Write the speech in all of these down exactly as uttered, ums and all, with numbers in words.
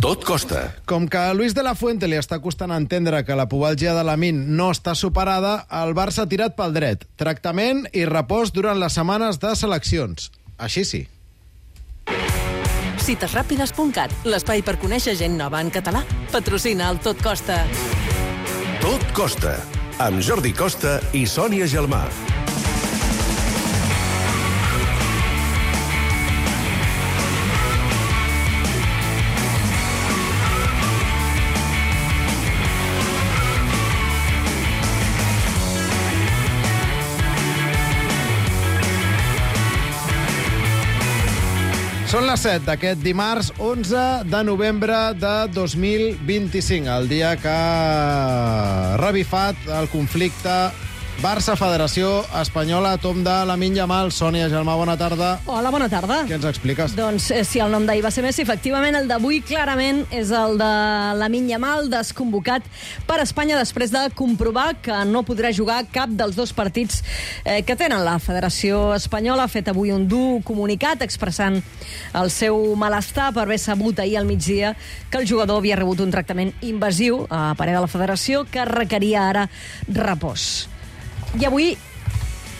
Tot costa. Com que a Luis de la Fuente li està costant entendre que la pubalgia de Lamine no està superada, el Barça ha tirat pel dret. Tractament i repòs durant les setmanes de seleccions. Així sí. cites ràpides punt cat, l'espai per conèixer gent nova en català. Patrocina el Tot Costa. Tot costa. Amb Jordi Costa i Sònia Gelmà. Són les set d'aquest dimarts onze de novembre de dos mil vint-i-cinc, el dia que ha revifat el conflicte Barça-Federació Espanyola, tom de Lamine Yamal. Sònia Gelmà, bona tarda. Hola, bona tarda. Què ens expliques? Doncs eh, si el nom d'ahir va ser Messi, efectivament el d'avui clarament és el de Lamine Yamal, desconvocat per Espanya després de comprovar que no podrà jugar cap dels dos partits eh, que tenen. La Federació Espanyola ha fet avui un dur comunicat expressant el seu malestar per haver sabut ahir al migdia que el jugador havia rebut un tractament invasiu a parer de la Federació que requeria ara repòs. I avui,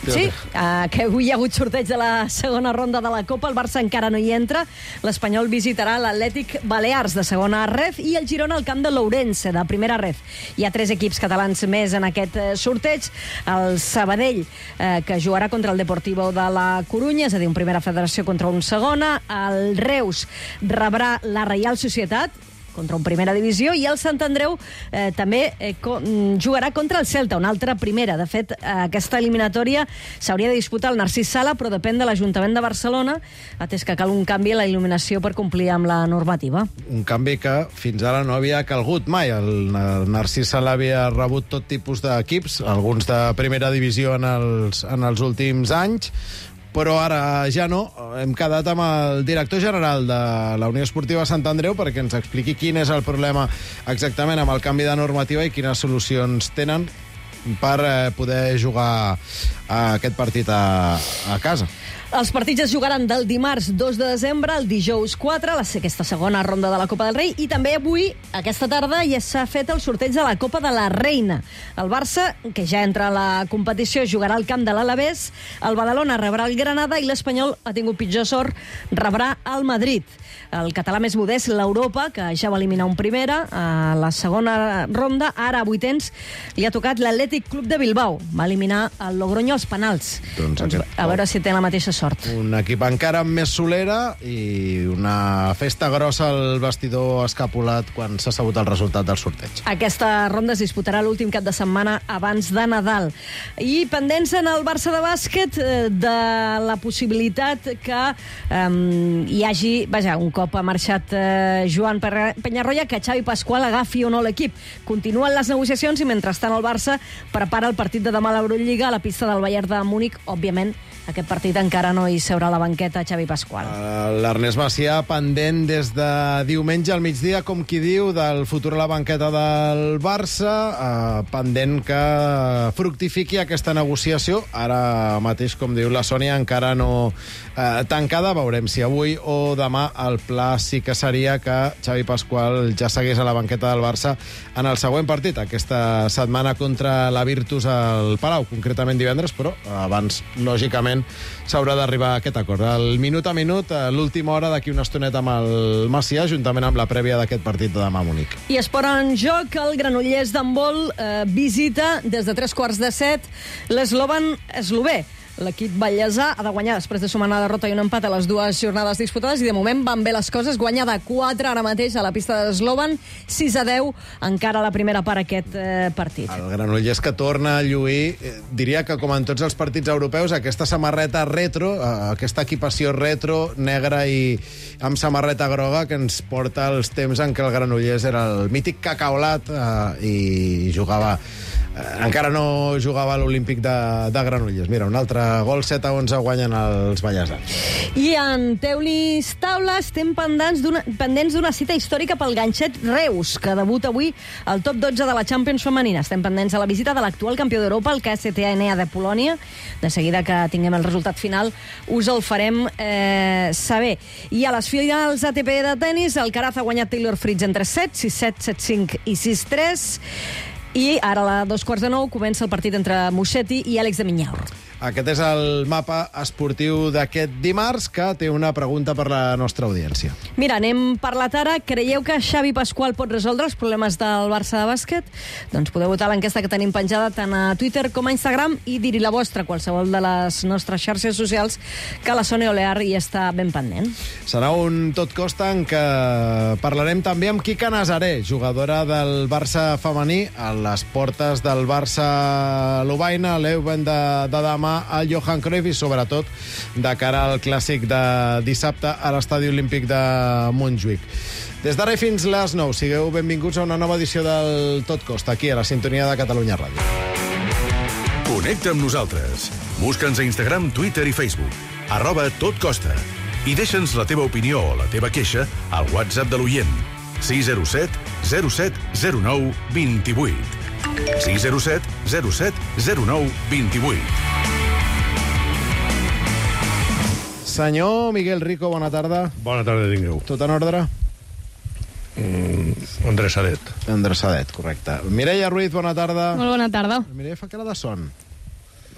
sí, uh, que avui hi ha hagut sorteig de la segona ronda de la Copa, el Barça encara no hi entra, l'Espanyol visitarà l'Atlètic Balears de segona ref i el Girona al camp de l'Ourense de primera ref. Hi ha tres equips catalans més en aquest sorteig, el Sabadell, eh, que jugarà contra el Deportivo de la Corunya, és a dir, un primera federació contra un segona, el Reus rebrà la Reial Societat, contra un primera divisió, i el Sant Andreu eh, també eh, co jugarà contra el Celta, una altra primera. De fet, eh, aquesta eliminatòria s'hauria de disputar el Narcís Sala, però depèn de l'Ajuntament de Barcelona, atès que cal un canvi a la il·luminació per complir amb la normativa. Un canvi que fins ara no havia calgut mai. El Narcís Sala havia rebut tot tipus d'equips, alguns de primera divisió en els, en els últims anys, però ara ja no. Hem quedat amb el director general de la Unió Esportiva Sant Andreu perquè ens expliqui quin és el problema exactament amb el canvi de normativa i quines solucions tenen per eh, poder jugar aquest partit a, a casa. Els partits es jugaran del dimarts dos de desembre al dijous quatre, aquesta segona ronda de la Copa del Rei, i també avui, aquesta tarda, ja s'ha fet el sorteig de la Copa de la Reina. El Barça, que ja entra a la competició, jugarà al camp de l'Alavés, el Badalona rebrà el Granada i l'Espanyol ha tingut pitjor sort, rebrà el Madrid. El català més modest, l'Europa, que ja va eliminar un primera a la segona ronda, ara a vuitens li ha tocat l'Atlètic Club de Bilbao. Va eliminar el Logroño als penals. Doncs doncs, a veure si té la mateixa sort. Un equip encara amb més solera i una festa grossa al vestidor escapulat quan s'ha sabut el resultat del sorteig. Aquesta ronda es disputarà l'últim cap de setmana abans de Nadal. I pendents en el Barça de bàsquet de la possibilitat que um, hi hagi, vaja, un cop ha marxat eh, Joan Penyarroia, que Xavi Pasqual agafi o no l'equip. Continuen les negociacions i mentrestant el Barça prepara el partit de demà a l'Eurolliga a la pista del Bayern de Múnich. Òbviament, aquest partit encara no hi seurà a la banqueta Xavi Pasqual. Uh, L'Ernest Macià pendent des de diumenge al migdia, com qui diu, del futur a la banqueta del Barça, uh, pendent que fructifiqui aquesta negociació. Ara mateix, com diu la Sònia, encara no uh, tancada. Veurem si avui o demà el pla sí que seria que Xavi Pasqual ja seguís a la banqueta del Barça en el següent partit, aquesta setmana contra la Virtus al Palau, concretament divendres, però abans, lògicament, s'haurà d'arribar a aquest acord. El minut a minut, a l'última hora, d'aquí una estoneta amb el Macià, juntament amb la prèvia d'aquest partit de demà a Munic. I esport en joc, el Granollers d'handbol eh, visita des de tres quarts de set l'Eslovan eslové. L'equip ballesà ha de guanyar després de sumar una derrota i un empat a les dues jornades disputades i de moment van bé les coses, guanya de quatre ara mateix a la pista d'Eslovan, sis a deu encara a la primera part aquest eh, partit. El Granollers que torna a lluir, eh, diria que com en tots els partits europeus, aquesta samarreta retro, eh, aquesta equipació retro, negra i amb samarreta groga, que ens porta als temps en què el Granollers era el mític cacaolat eh, i jugava encara no jugava a l'Olímpic de, de Granollers. Mira, un altre gol, set a onze guanyen els ballesans. I en Teulis Taula estem pendents d'una pendents d'una cita històrica pel Ganxet Reus, que debuta avui al top dotze de la Champions femenina. Estem pendents de la visita de l'actual campió d'Europa, el K S T A N A de Polònia. De seguida que tinguem el resultat final us el farem eh, saber. I a les finals A T P de tennis, Alcaraz ha guanyat Taylor Fritz en tres sets, sis set, set cinc i sis tres. I ara a dos quarts de nou comença el partit entre Musetti i Àlex de Minaur. Aquest és el mapa esportiu d'aquest dimarts, que té una pregunta per la nostra audiència. Mira, n'hem parlat ara. Creieu que Xavi Pasqual pot resoldre els problemes del Barça de bàsquet? Doncs podeu votar l'enquesta que tenim penjada tant a Twitter com a Instagram i dir-hi la vostra a qualsevol de les nostres xarxes socials, que la Sònia Olear hi està ben pendent. Serà un tot costa en què parlarem també amb Quica Nazaré, jugadora del Barça femení, a les portes del Barça Lovaina, l'Euven de, de demà al Johan Cruyff i sobretot de cara al clàssic de dissabte a l'Estadi Olímpic de Montjuïc. Des d'ara fins les nou, sigueu benvinguts a una nova edició del Tot Costa, aquí a la sintonia de Catalunya Ràdio. Connecta amb nosaltres. Busca'ns a Instagram, Twitter i Facebook. Arroba Tot Costa. I deixa'ns la teva opinió o la teva queixa al WhatsApp de l'oient. sis zero set zero set zero nou dos vuit. sis zero set zero set zero nou dos vuit. Senyor Miguel Rico, bona tarda. Bona tarda, tingueu. Tot en ordre? Mm, endreçadet. Endreçadet, correcte. Mireia Ruiz, bona tarda. Molt bona tarda. Mireia fa cara de son.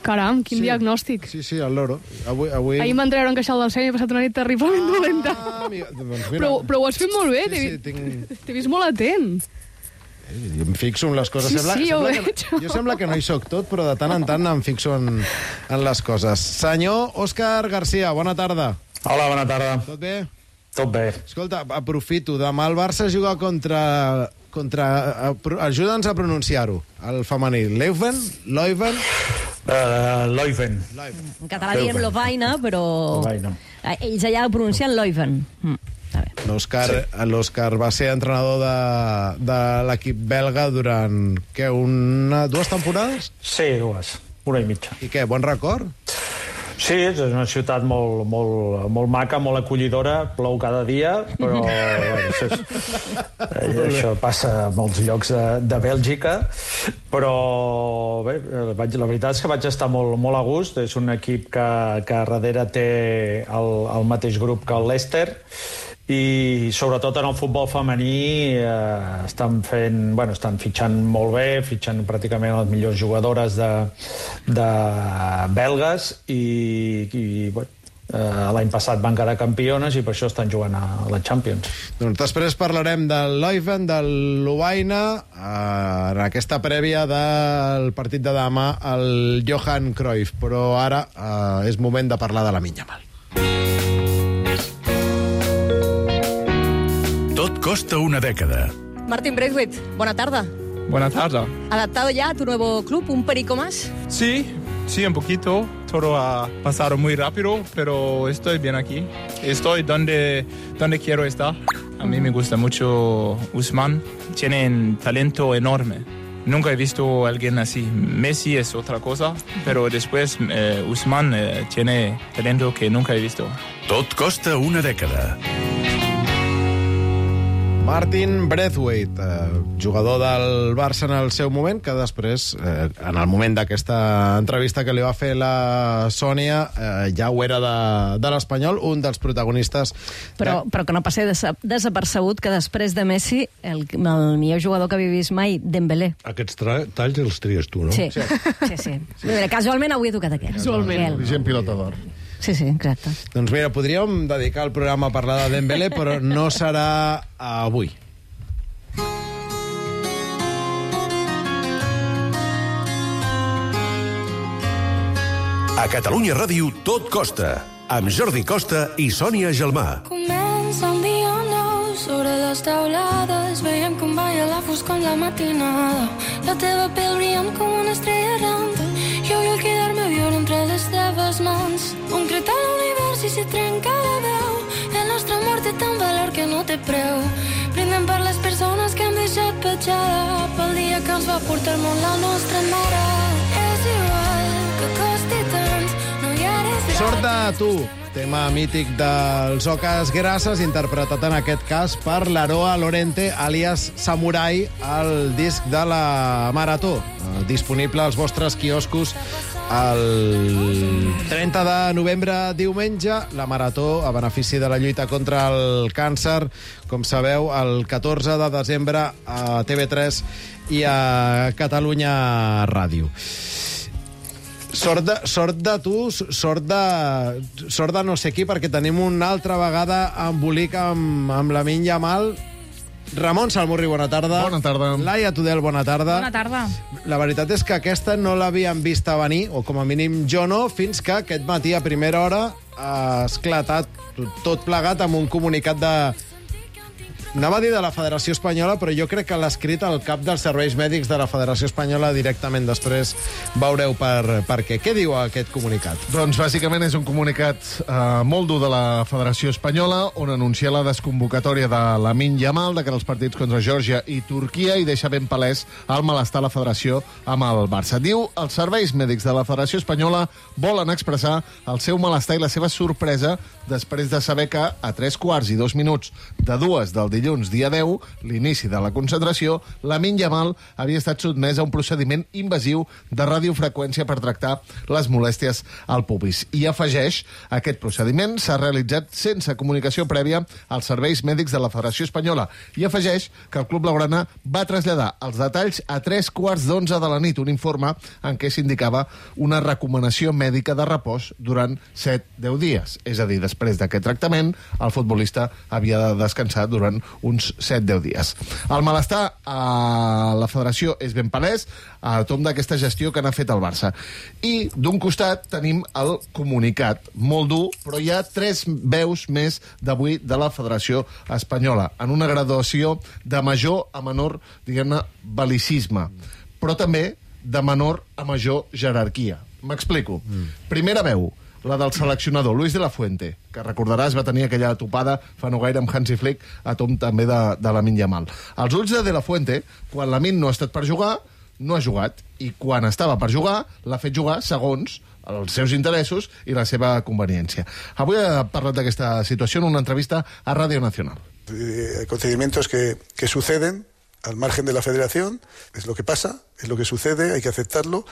Caram, quin Sí. diagnòstic. Sí, sí, el loro. Avui, avui... Ahir m'entreure en queixal del seny i he passat una nit terriblement dolenta. Ah, amiga, doncs mira. Però, però ho has fet molt bé, Sí, t'he sí, vi- tinc... t'he vist molt atent. Jo em fixo en les coses. Sí, sembla, sí, ho sembla veig. que, jo sembla que no hi soc tot, però de tant en tant em fixo en, en les coses. Senyor Òscar García, bona tarda. Hola, bona tarda. Tot bé? Tot bé. Escolta, aprofito. Demà el Barça juga contra... contra Ajuda'ns a pronunciar-ho, el femení. Leuven? Leuven? Uh, Leuven. En català diem Lovaina, però Lovaina. Eh, ells allà ho pronuncien Leuven. Mm, està bé. L'Òscar sí. l'Òscar va ser entrenador de, de l'equip belga durant, què, una, dues temporades? Sí, dues. Una i mitja. I què, bon record? Sí, és una ciutat molt, molt, molt maca, molt acollidora, plou cada dia, però bueno, això, és, això passa a molts llocs de, de Bèlgica, però bé, vaig, la veritat és que vaig estar molt, molt a gust. És un equip que, que darrere té el, el mateix grup que el Leicester, i sobretot en el futbol femení eh, estan fent, bueno, estan fitxant molt bé, fitxant pràcticament les millors jugadores de, de belgues i, i bueno, eh, l'any passat van quedar campiones i per això estan jugant a la Champions. Doncs després parlarem del Leuven, del Lovaina, eh, en aquesta prèvia del partit de demà al Johan Cruyff, però ara eh, és moment de parlar de la Minyamal. Tot costa una dècada. Martín Braithwaite, buena tarde. Buenas tardes. ¿Adaptado ya a tu nuevo club, un perico más? Sí, sí, un poquito. Todo ha pasado muy rápido, pero estoy bien aquí. Estoy donde, donde quiero estar. A mí me gusta mucho Ousmane. Tiene un talento enorme. Nunca he visto a alguien así. Messi es otra cosa, pero después eh, Ousmane eh, tiene talento que nunca he visto. Tot costa una dècada. Martin Braithwaite, eh, jugador del Barça en el seu moment, que després, eh, en el moment d'aquesta entrevista que li va fer la Sònia, eh, ja ho era de, de l'Espanyol, un dels protagonistes. Però, de... però que no passi desa desapercebut que després de Messi, el, el millor jugador que havia vist mai, Dembélé. Aquests talls els tries tu, no? Sí, sí, sí. sí. Mira, casualment avui he tocat aquest. Casualment. Vigent pilota d'or. Sí, sí, exacte. Doncs mira, podríem dedicar el programa a parlar de Dembélé, però no serà avui. A Catalunya Ràdio, Tot costa, amb Jordi Costa i Sònia Gelmà. Comença un dia nou sobre les taulades, veiem com balla la foscor en la matinada, la teva pell brillant com una estrella errant, jo vull quedar-me a viure entre les teves mans, un crit a l'univers i si trenca la veu, el nostre amor té tant valor que no té preu, brindem per les persones que han deixat petjada, pel dia que ens va portar el món la nostra mare. És igual que costi tant, no hi eres Sort de tu, tema mític dels Oques Grasses, interpretat en aquest cas per l'Aroa Lorente, alias Samurai, el disc de la Marató, disponible als vostres quioscos el trenta de novembre, diumenge, la Marató a benefici de la lluita contra el càncer, com sabeu, el catorze de desembre a T V tres i a Catalunya Ràdio. Sort de, sort de tu, sort de, sort de no sé qui, perquè tenim una altra vegada embolic amb, amb Lamine Yamal. Ramon Salmurri, bona tarda. Bona tarda. Laia Tudel, bona tarda. Bona tarda. La veritat és que aquesta no l'havíem vista venir, o com a mínim jo no, fins que aquest matí a primera hora ha esclatat tot plegat amb un comunicat de... Anava a dir de la Federació Espanyola, però jo crec que l'ha escrit el cap dels serveis mèdics de la Federació Espanyola directament. Després veureu per, per què. Què diu aquest comunicat? Doncs bàsicament és un comunicat eh, molt dur de la Federació Espanyola, on anuncia la desconvocatòria de Lamine Yamal de cara als partits contra Geòrgia i Turquia, i deixa ben palès el malestar a la Federació amb el Barça. Diu, els serveis mèdics de la Federació Espanyola volen expressar el seu malestar i la seva sorpresa després de saber que a tres quarts i dos minuts de dues del dilluns, dia deu, l'inici de la concentració, Lamine Yamal havia estat sotmès a un procediment invasiu de radiofreqüència per tractar les molèsties al pubis. I afegeix, aquest procediment s'ha realitzat sense comunicació prèvia als serveis mèdics de la Federació Espanyola. I afegeix que el club blaugrana va traslladar els detalls a tres quarts d'onze de la nit, un informe en què s'indicava una recomanació mèdica de repòs durant set a deu dies. És a dir, després d'aquest tractament, el futbolista havia de descansar durant uns set a deu dies. El malestar a la federació és ben palès a tom d'aquesta gestió que n'ha fet el Barça. I d'un costat tenim el comunicat, molt dur, però hi ha tres veus més d'avui de la Federació Espanyola, en una graduació de major a menor, diguem-ne, bel·licisme, però també de menor a major jerarquia. M'explico. Mm. Primera veu, la del seleccionador, Luis de la Fuente, que recordaràs va tenir aquella topada fa no gaire amb Hansi Flick, a tom també de, de Lamine Yamal. Els ulls de De la Fuente, quan Lamine no ha estat per jugar, no ha jugat, i quan estava per jugar, l'ha fet jugar segons els seus interessos i la seva conveniència. Avui ha parlat d'aquesta situació en una entrevista a Radio Nacional. Hay procedimientos que, que suceden al margen de la federación, es lo que pasa, es lo que sucede, hay que aceptarlo,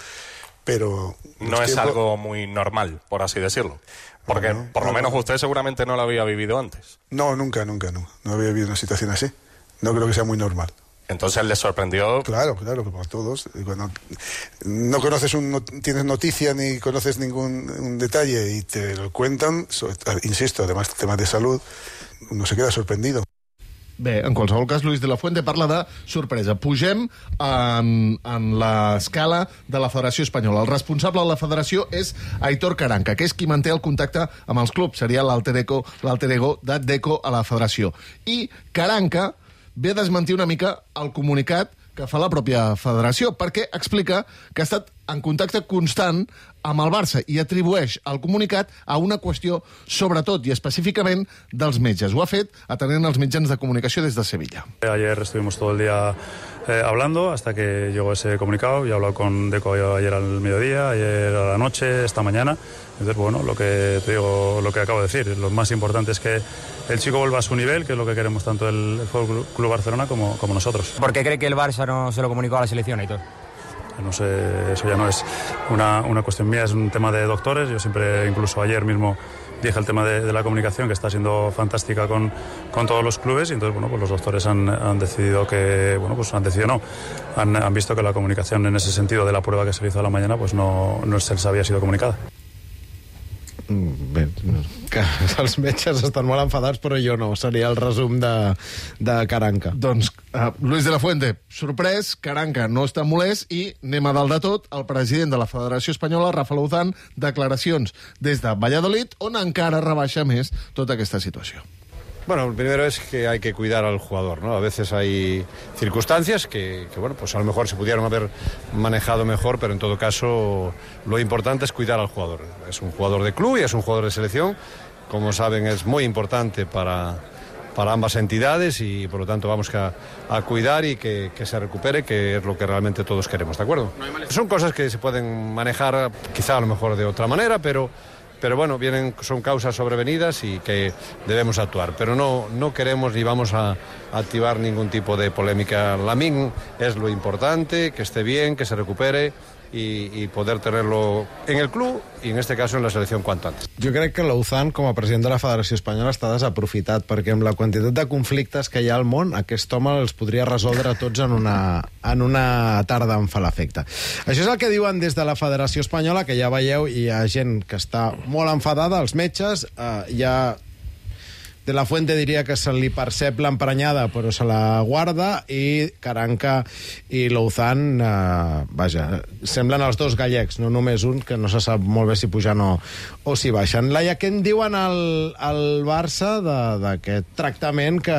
pero... No es tiempo... algo muy normal, por así decirlo. Porque no, no, por lo no, menos no. Usted seguramente no lo había vivido antes. No, nunca, nunca, no. No había vivido una situación así. No creo que sea muy normal. Entonces le sorprendió... Claro, claro, como a todos. Cuando no conoces un, no tienes noticia ni conoces ningún un detalle y te lo cuentan, so, insisto, además temas de salud, uno se queda sorprendido. Bé, en qualsevol cas, Luis de la Fuente parla de sorpresa. Pugem en, en l'escala de la Federació Espanyola. El responsable de la federació és Aitor Caranca, que és qui manté el contacte amb els clubs. Seria l'alter ego, l'alter ego de Deco a la federació. I Caranca ve a desmentir una mica el comunicat que fa la pròpia federació, perquè explica que ha estat en contacte constant amb el Barça i atribueix el comunicat a una qüestió, sobretot i específicament, dels metges. Ho ha fet atenent els mitjans de comunicació des de Sevilla. Ayer estuvimos todo el día eh, hablando hasta que llegó ese comunicado. Yo he hablado con Deco ayer al mediodía, ayer a la noche, esta mañana. Entonces, bueno, lo que te digo, lo que acabo de decir, lo más importante es que el chico vuelva a su nivel, que es lo que queremos tanto el Fútbol Club Barcelona como, como nosotros. ¿Por qué cree que el Barça no se lo comunicó a la selección, Aitor? No sé, eso ya no es una, una cuestión mía, es un tema de doctores. Yo siempre, incluso ayer mismo, dije el tema de, de la comunicación, que está siendo fantástica con, con todos los clubes, y entonces, bueno, pues los doctores han, han decidido que, bueno, pues han decidido no, han, han visto que la comunicación en ese sentido de la prueba que se le hizo a la mañana, pues no, no se les había sido comunicada. Bé, que els metges estan molt enfadats, però jo no. Seria el resum de, de Caranca. Doncs uh, Luis de la Fuente, sorprès, Caranca no està molest, i anem a dalt de tot, el president de la Federació Espanyola, Rafa Luzán, declaracions des de Valladolid, on encara rebaixa més tota aquesta situació. Bueno, lo primero es que hay que cuidar al jugador, ¿no? A veces hay circunstancias que, que, bueno, pues a lo mejor se pudieron haber manejado mejor, pero en todo caso lo importante es cuidar al jugador. Es un jugador de club y es un jugador de selección. Como saben, es muy importante para, para ambas entidades y por lo tanto vamos a, a cuidar y que, que se recupere, que es lo que realmente todos queremos, ¿de acuerdo? Son cosas que se pueden manejar quizá a lo mejor de otra manera, pero, pero bueno, vienen, son causas sobrevenidas y que debemos actuar. Pero no, no queremos ni vamos a, a activar ningún tipo de polémica. Lamine es lo importante, que esté bien, que se recupere y, y poder tenerlo en el club i en este caso en la selecció cuanto antes. Jo crec que l'Ouzan, com a president de la Federació Espanyola, està desaprofitat, perquè amb la quantitat de conflictes que hi ha al món, aquest home els podria resoldre tots en una, en una tarda en fa l'efecte. Això és el que diuen des de la Federació Espanyola, que ja veieu, hi ha gent que està molt enfadada, els metges, eh, hi ha... De la Fuente diria que se li percep l'emprenyada, però se la guarda, i Caranca i l'Ouzan, eh, vaja, semblen els dos gallecs, no només un, que no se sap molt bé si pujan o, o si baixen. Laia, què en diuen al, al Barça d'aquest tractament que,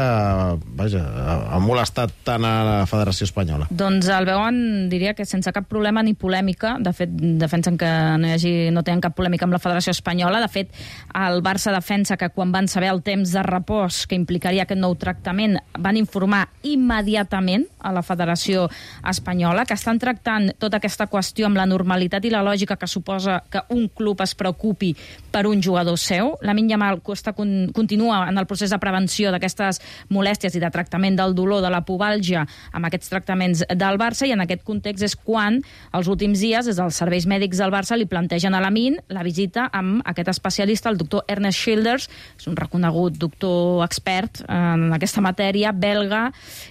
vaja, ha molestat tant a la Federació Espanyola? Doncs el veuen, diria que sense cap problema ni polèmica. De fet, defensen que no, hi hagi, no tenen cap polèmica amb la Federació Espanyola. De fet, el Barça defensa que quan van saber el temps de repòs que implicaria aquest nou tractament, van informar immediatament a la Federació Espanyola, que estan tractant tota aquesta qüestió amb la normalitat i la lògica que suposa que un club es preocupi per un jugador seu. Lamine Yamal Costa continua en el procés de prevenció d'aquestes molèsties i de tractament del dolor de la pubalgia amb aquests tractaments del Barça, i en aquest context és quan els últims dies des dels serveis mèdics del Barça li plantegen a Lamine la visita amb aquest especialista, el doctor Ernest Schilders, és un reconegut doctor expert en aquesta matèria, belga,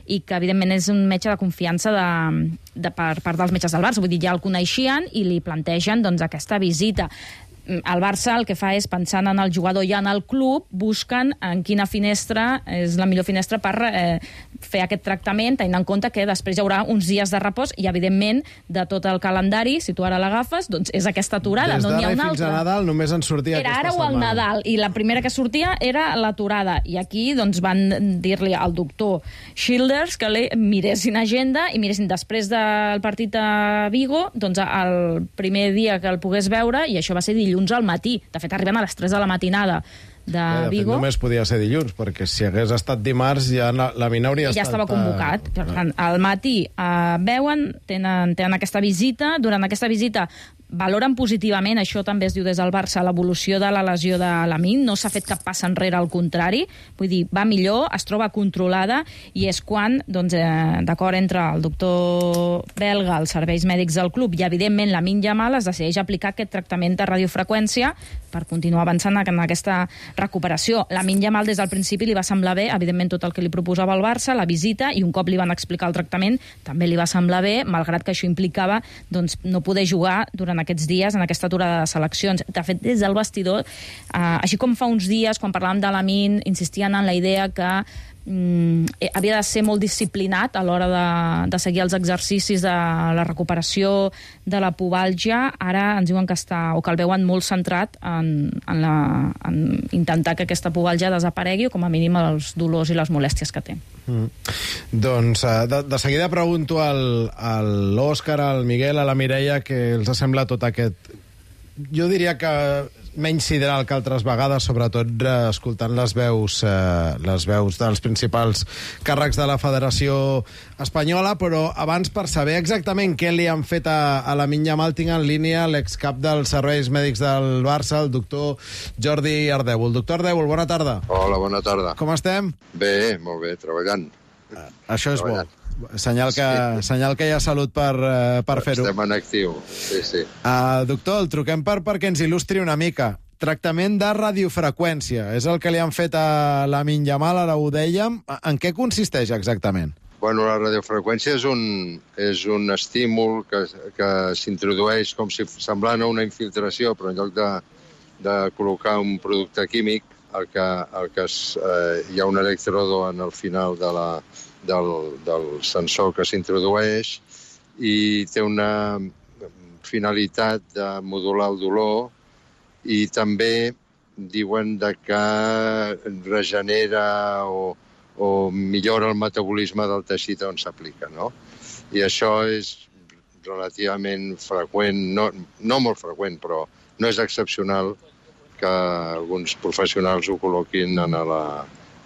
i que evidentment és un metge de confiança de, de, per part dels metges del Barça. Vull dir, ja el coneixien i li plantegen doncs, aquesta visita. El Barça el que fa és, pensant en el jugador i en el club, busquen en quina finestra és la millor finestra per eh, fer aquest tractament, tenint en compte que després hi haurà uns dies de repòs i, evidentment, de tot el calendari, si tu ara l'agafes, doncs és aquesta aturada, no n'hi ha una altra. Des d'ara fins a Nadal només en sortia era aquesta setmana. Era ara o al Nadal, i la primera que sortia era l'aturada. I aquí doncs, van dir-li al doctor Schilders que li miressin agenda i miressin després del partit a Vigo, doncs el primer dia que el pogués veure, i això va ser dilluns al matí. De fet, arriben a les tres de la matinada de ja, de Vigo. Fet, només podia ser dilluns, perquè si hagués estat dimarts ja la Mina hauria ja estat... estava convocat. Per tant, al matí eh, veuen, tenen, tenen aquesta visita. Durant aquesta visita valoren positivament, això també es diu des del Barça, l'evolució de la lesió de Lamine. No s'ha fet cap pas enrere, al contrari. Vull dir, va millor, es troba controlada, i és quan, doncs, eh, d'acord entre el doctor belga, els serveis mèdics del club i, evidentment, Lamine Yamal, es decideix aplicar aquest tractament de radiofreqüència per continuar avançant en aquesta recuperació. Lamine Yamal, des del principi, li va semblar bé, evidentment, tot el que li proposava el Barça, la visita, i un cop li van explicar el tractament, també li va semblar bé, malgrat que això implicava doncs, no poder jugar durant aquests dies en aquesta aturada de seleccions. De fet, des del vestidor, eh, així com fa uns dies, quan parlàvem de Lamine, insistien en la idea que mm, havia de ser molt disciplinat a l'hora de, de seguir els exercicis de la recuperació de la pubalgia. Ara ens diuen que està, o que el veuen molt centrat en, en, la, en intentar que aquesta pubalgia desaparegui, o com a mínim els dolors i les molèsties que té. Mm. Doncs de, de seguida pregunto al, a l'Òscar, al Miguel, a la Mireia, que els sembla tot aquest... Jo diria que menys sideral que altres vegades, sobretot eh, escoltant les veus, eh, les veus dels principals càrrecs de la Federació Espanyola, però abans, per saber exactament què li han fet a, a Lamine Yamal, tinc en línia l'excap dels serveis mèdics del Barça, el doctor Jordi Ardèvol. Doctor Ardèvol, bona tarda. Hola, bona tarda. Com estem? Bé, molt bé, treballant. Uh, això és treballant. bo. Senyal que, sí. senyal que hi ha salut per, uh, per fer-ho. Estem en actiu, sí, sí. Uh, doctor, el truquem per, perquè ens il·lustri una mica. Tractament de radiofreqüència. És el que li han fet a Lamine Yamal, ara ho dèiem. En què consisteix exactament? Bueno, la radiofreqüència és un, és un estímul que, que s'introdueix com si semblant a una infiltració, però en lloc de, de col·locar un producte químic, el que, el que es, eh, hi ha un electrodo en el final de la, del, del sensor que s'introdueix i té una finalitat de modular el dolor, i també diuen de que regenera o, o millora el metabolisme del teixit on s'aplica, no? I això és relativament freqüent, no, no molt freqüent, però no és excepcional que alguns professionals ho col·loquin en la,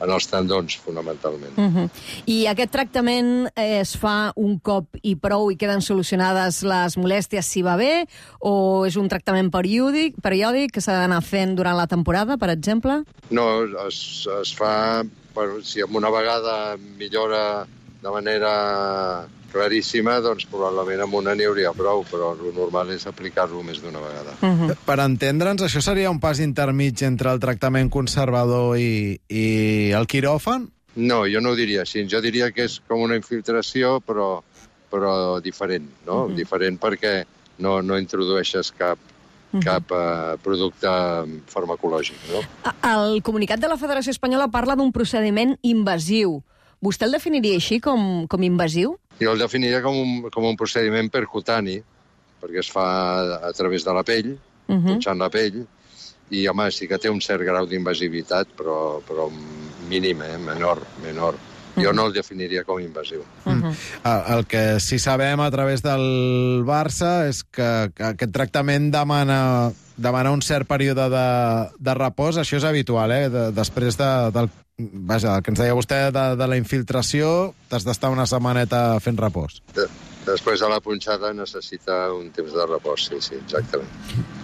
en els tendons, fonamentalment. Uh -huh. I aquest tractament es fa un cop i prou i queden solucionades les molèsties si va bé, o és un tractament periòdic, periòdic que s'ha d'anar fent durant la temporada, per exemple? No, es, es fa... Bueno, si amb una vegada millora de manera claríssima, doncs probablement amb una n'hi hauria prou, però el normal és aplicar-lo més d'una vegada. Uh-huh. Per entendre'ns, això seria un pas intermig entre el tractament conservador i, i el quiròfan? No, jo no ho diria així. Jo diria que és com una infiltració, però, però diferent, no? Uh-huh. Diferent perquè no, no introdueixes cap, uh-huh. cap uh, producte farmacològic, no? El comunicat de la Federació Espanyola parla d'un procediment invasiu. Vostè el definiria així, com, com invasiu? Jo el definiria com un, com un procediment percutani, perquè es fa a través de la pell, uh-huh. punxant la pell, i, home, sí que té un cert grau d'invasivitat, però, però mínim, eh? menor, menor. Jo uh-huh. no el definiria com invasiu. Uh-huh. El, el que sí sabem a través del Barça és que, que aquest tractament demana, demana un cert període de, de repòs. Això és habitual, eh? De, després de, del Vaja, el que ens deia vostè de, de la infiltració, t'has d'estar una setmaneta fent repòs. De, després de la punxada necessita un temps de repòs, sí, sí, exactament.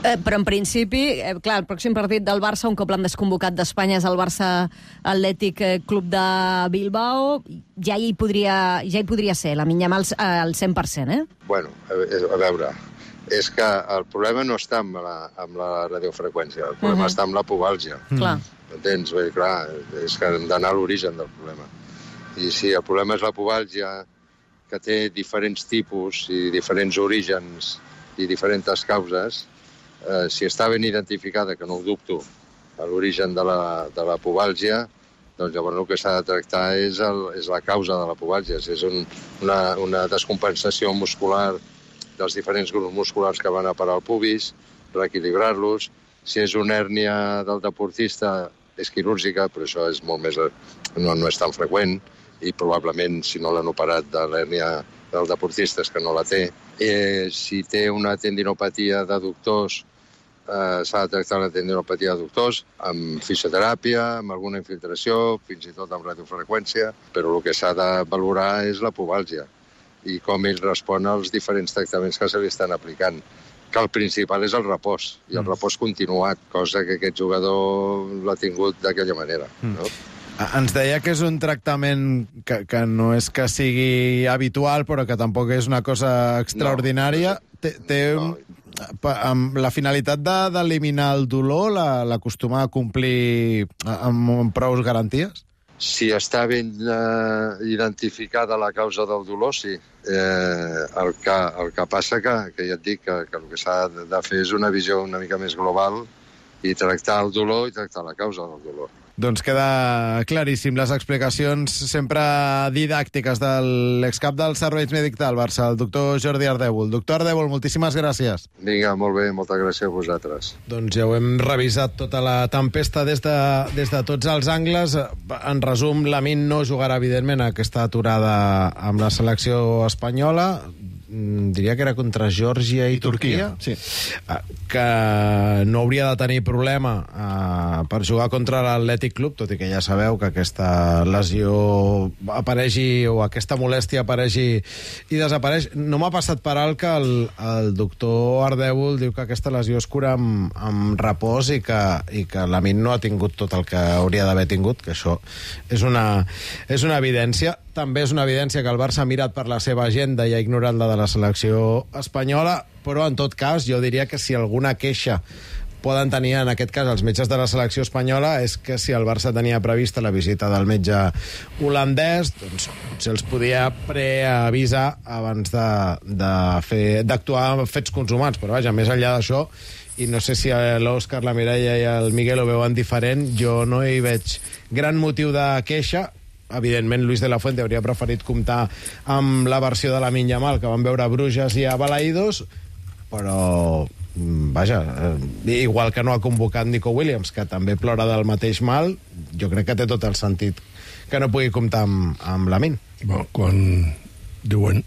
Eh, però en principi, eh, clar, el pròxim partit del Barça, un cop l'han desconvocat d'Espanya, és el Barça Atlètic Club de Bilbao. Ja hi podria, ja hi podria ser, la Minyama al cent per cent, eh? Bueno, a, a veure, és que el problema no està amb la, amb la radiofreqüència, el problema uh-huh. està amb la pubàlgia. Uh-huh. Clar. Entens? Bé, clar, és que hem d'anar a l'origen del problema. I si el problema és la pubàlgia, que té diferents tipus i diferents orígens i diferents causes, eh, si està ben identificada, que no ho dubto, a l'origen de la, de la pubàlgia, doncs llavors el que s'ha de tractar és, el, és la causa de la pubàlgia. Si és un, una, una descompensació muscular dels diferents grups musculars que van a parar al pubis, reequilibrar-los. Si és una hèrnia del deportista, és quirúrgica, però això és molt més, no, no és tan freqüent, i probablement, si no l'han operat de l'hèrnia del deportista, és que no la té. Eh, si té una tendinopatia d'adductors, eh, s'ha de tractar la tendinopatia d'adductors amb fisioteràpia, amb alguna infiltració, fins i tot amb radiofreqüència, però el que s'ha de valorar és la pubàlgia i com ell respon als diferents tractaments que se li estan aplicant, que el principal és el repòs, i el repòs continuat, cosa que aquest jugador l'ha tingut d'aquella manera. No? Ens deia que és un tractament que, que no és que sigui habitual, però que tampoc és una cosa extraordinària. No. Té, té no. Amb la finalitat d'eliminar el dolor, l'acostuma a complir amb, amb prou garanties? Si està ben eh, identificada la causa del dolor, sí. Eh, el, que, el que passa que, que ja et dic que, que el que s'ha de fer és una visió una mica més global i tractar el dolor i tractar la causa del dolor. Doncs queda claríssim. Les explicacions sempre didàctiques de l'excap dels serveis mèdics del Barça, el doctor Jordi Ardèvol. Doctor Ardèvol, moltíssimes gràcies. Vinga, molt bé, moltes gràcies a vosaltres. Doncs ja ho hem revisat tota la tempesta des de, des de tots els angles. En resum, Lamine no jugarà, evidentment, aquesta aturada amb la selecció espanyola. Diria que era contra Geòrgia i, I Turquia, Turquia. Sí. Que no hauria de tenir problema uh, per jugar contra l'Atlètic Club, tot i que ja sabeu que aquesta lesió apareixi o aquesta molèstia apareixi i desapareix. No m'ha passat per alt que el, el doctor Ardèvol diu que aquesta lesió es cura amb, amb repòs i que, i que Lamine no ha tingut tot el que hauria d'haver tingut, que això és una, és una evidència. També és una evidència que el Barça ha mirat per la seva agenda i ha ignorat la de la selecció espanyola, però en tot cas jo diria que si alguna queixa poden tenir en aquest cas els metges de la selecció espanyola és que si el Barça tenia prevista la visita del metge holandès, doncs se'ls podia preavisar abans de, de fer, d'actuar amb fets consumats, però vaja, més enllà d'això, i no sé si l'Òscar, la Mireia i el Miguel ho veuen diferent, jo no hi veig gran motiu de queixa. Evidentment, Luis de la Fuente hauria preferit comptar amb la versió de Lamine Yamal que van veure a Bruges i a Balaïdos, però, vaja, igual que no ha convocat Nico Williams, que també plora del mateix mal, jo crec que té tot el sentit que no pugui comptar amb, amb Lamine. Bueno, quan diuen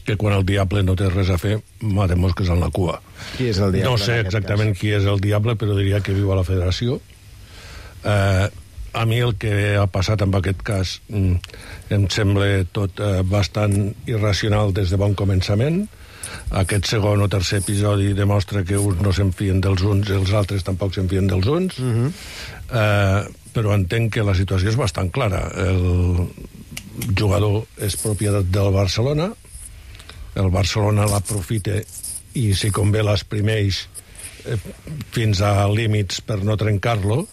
que quan el diable no té res a fer, mata mosques en la cua. Qui és el diable? No sé exactament qui és el diable, però diria que viu a la federació. Eh... a mi el que ha passat en aquest cas em sembla tot eh, bastant irracional des de bon començament. Aquest segon o tercer episodi demostra que uns no s'enfien dels uns i els altres tampoc s'enfien dels uns. Uh-huh. eh, però entenc que la situació és bastant clara. El jugador és propietat del Barcelona, el Barcelona l'aprofita i si convé l'exprimeix eh, fins a límits per no trencar-lo,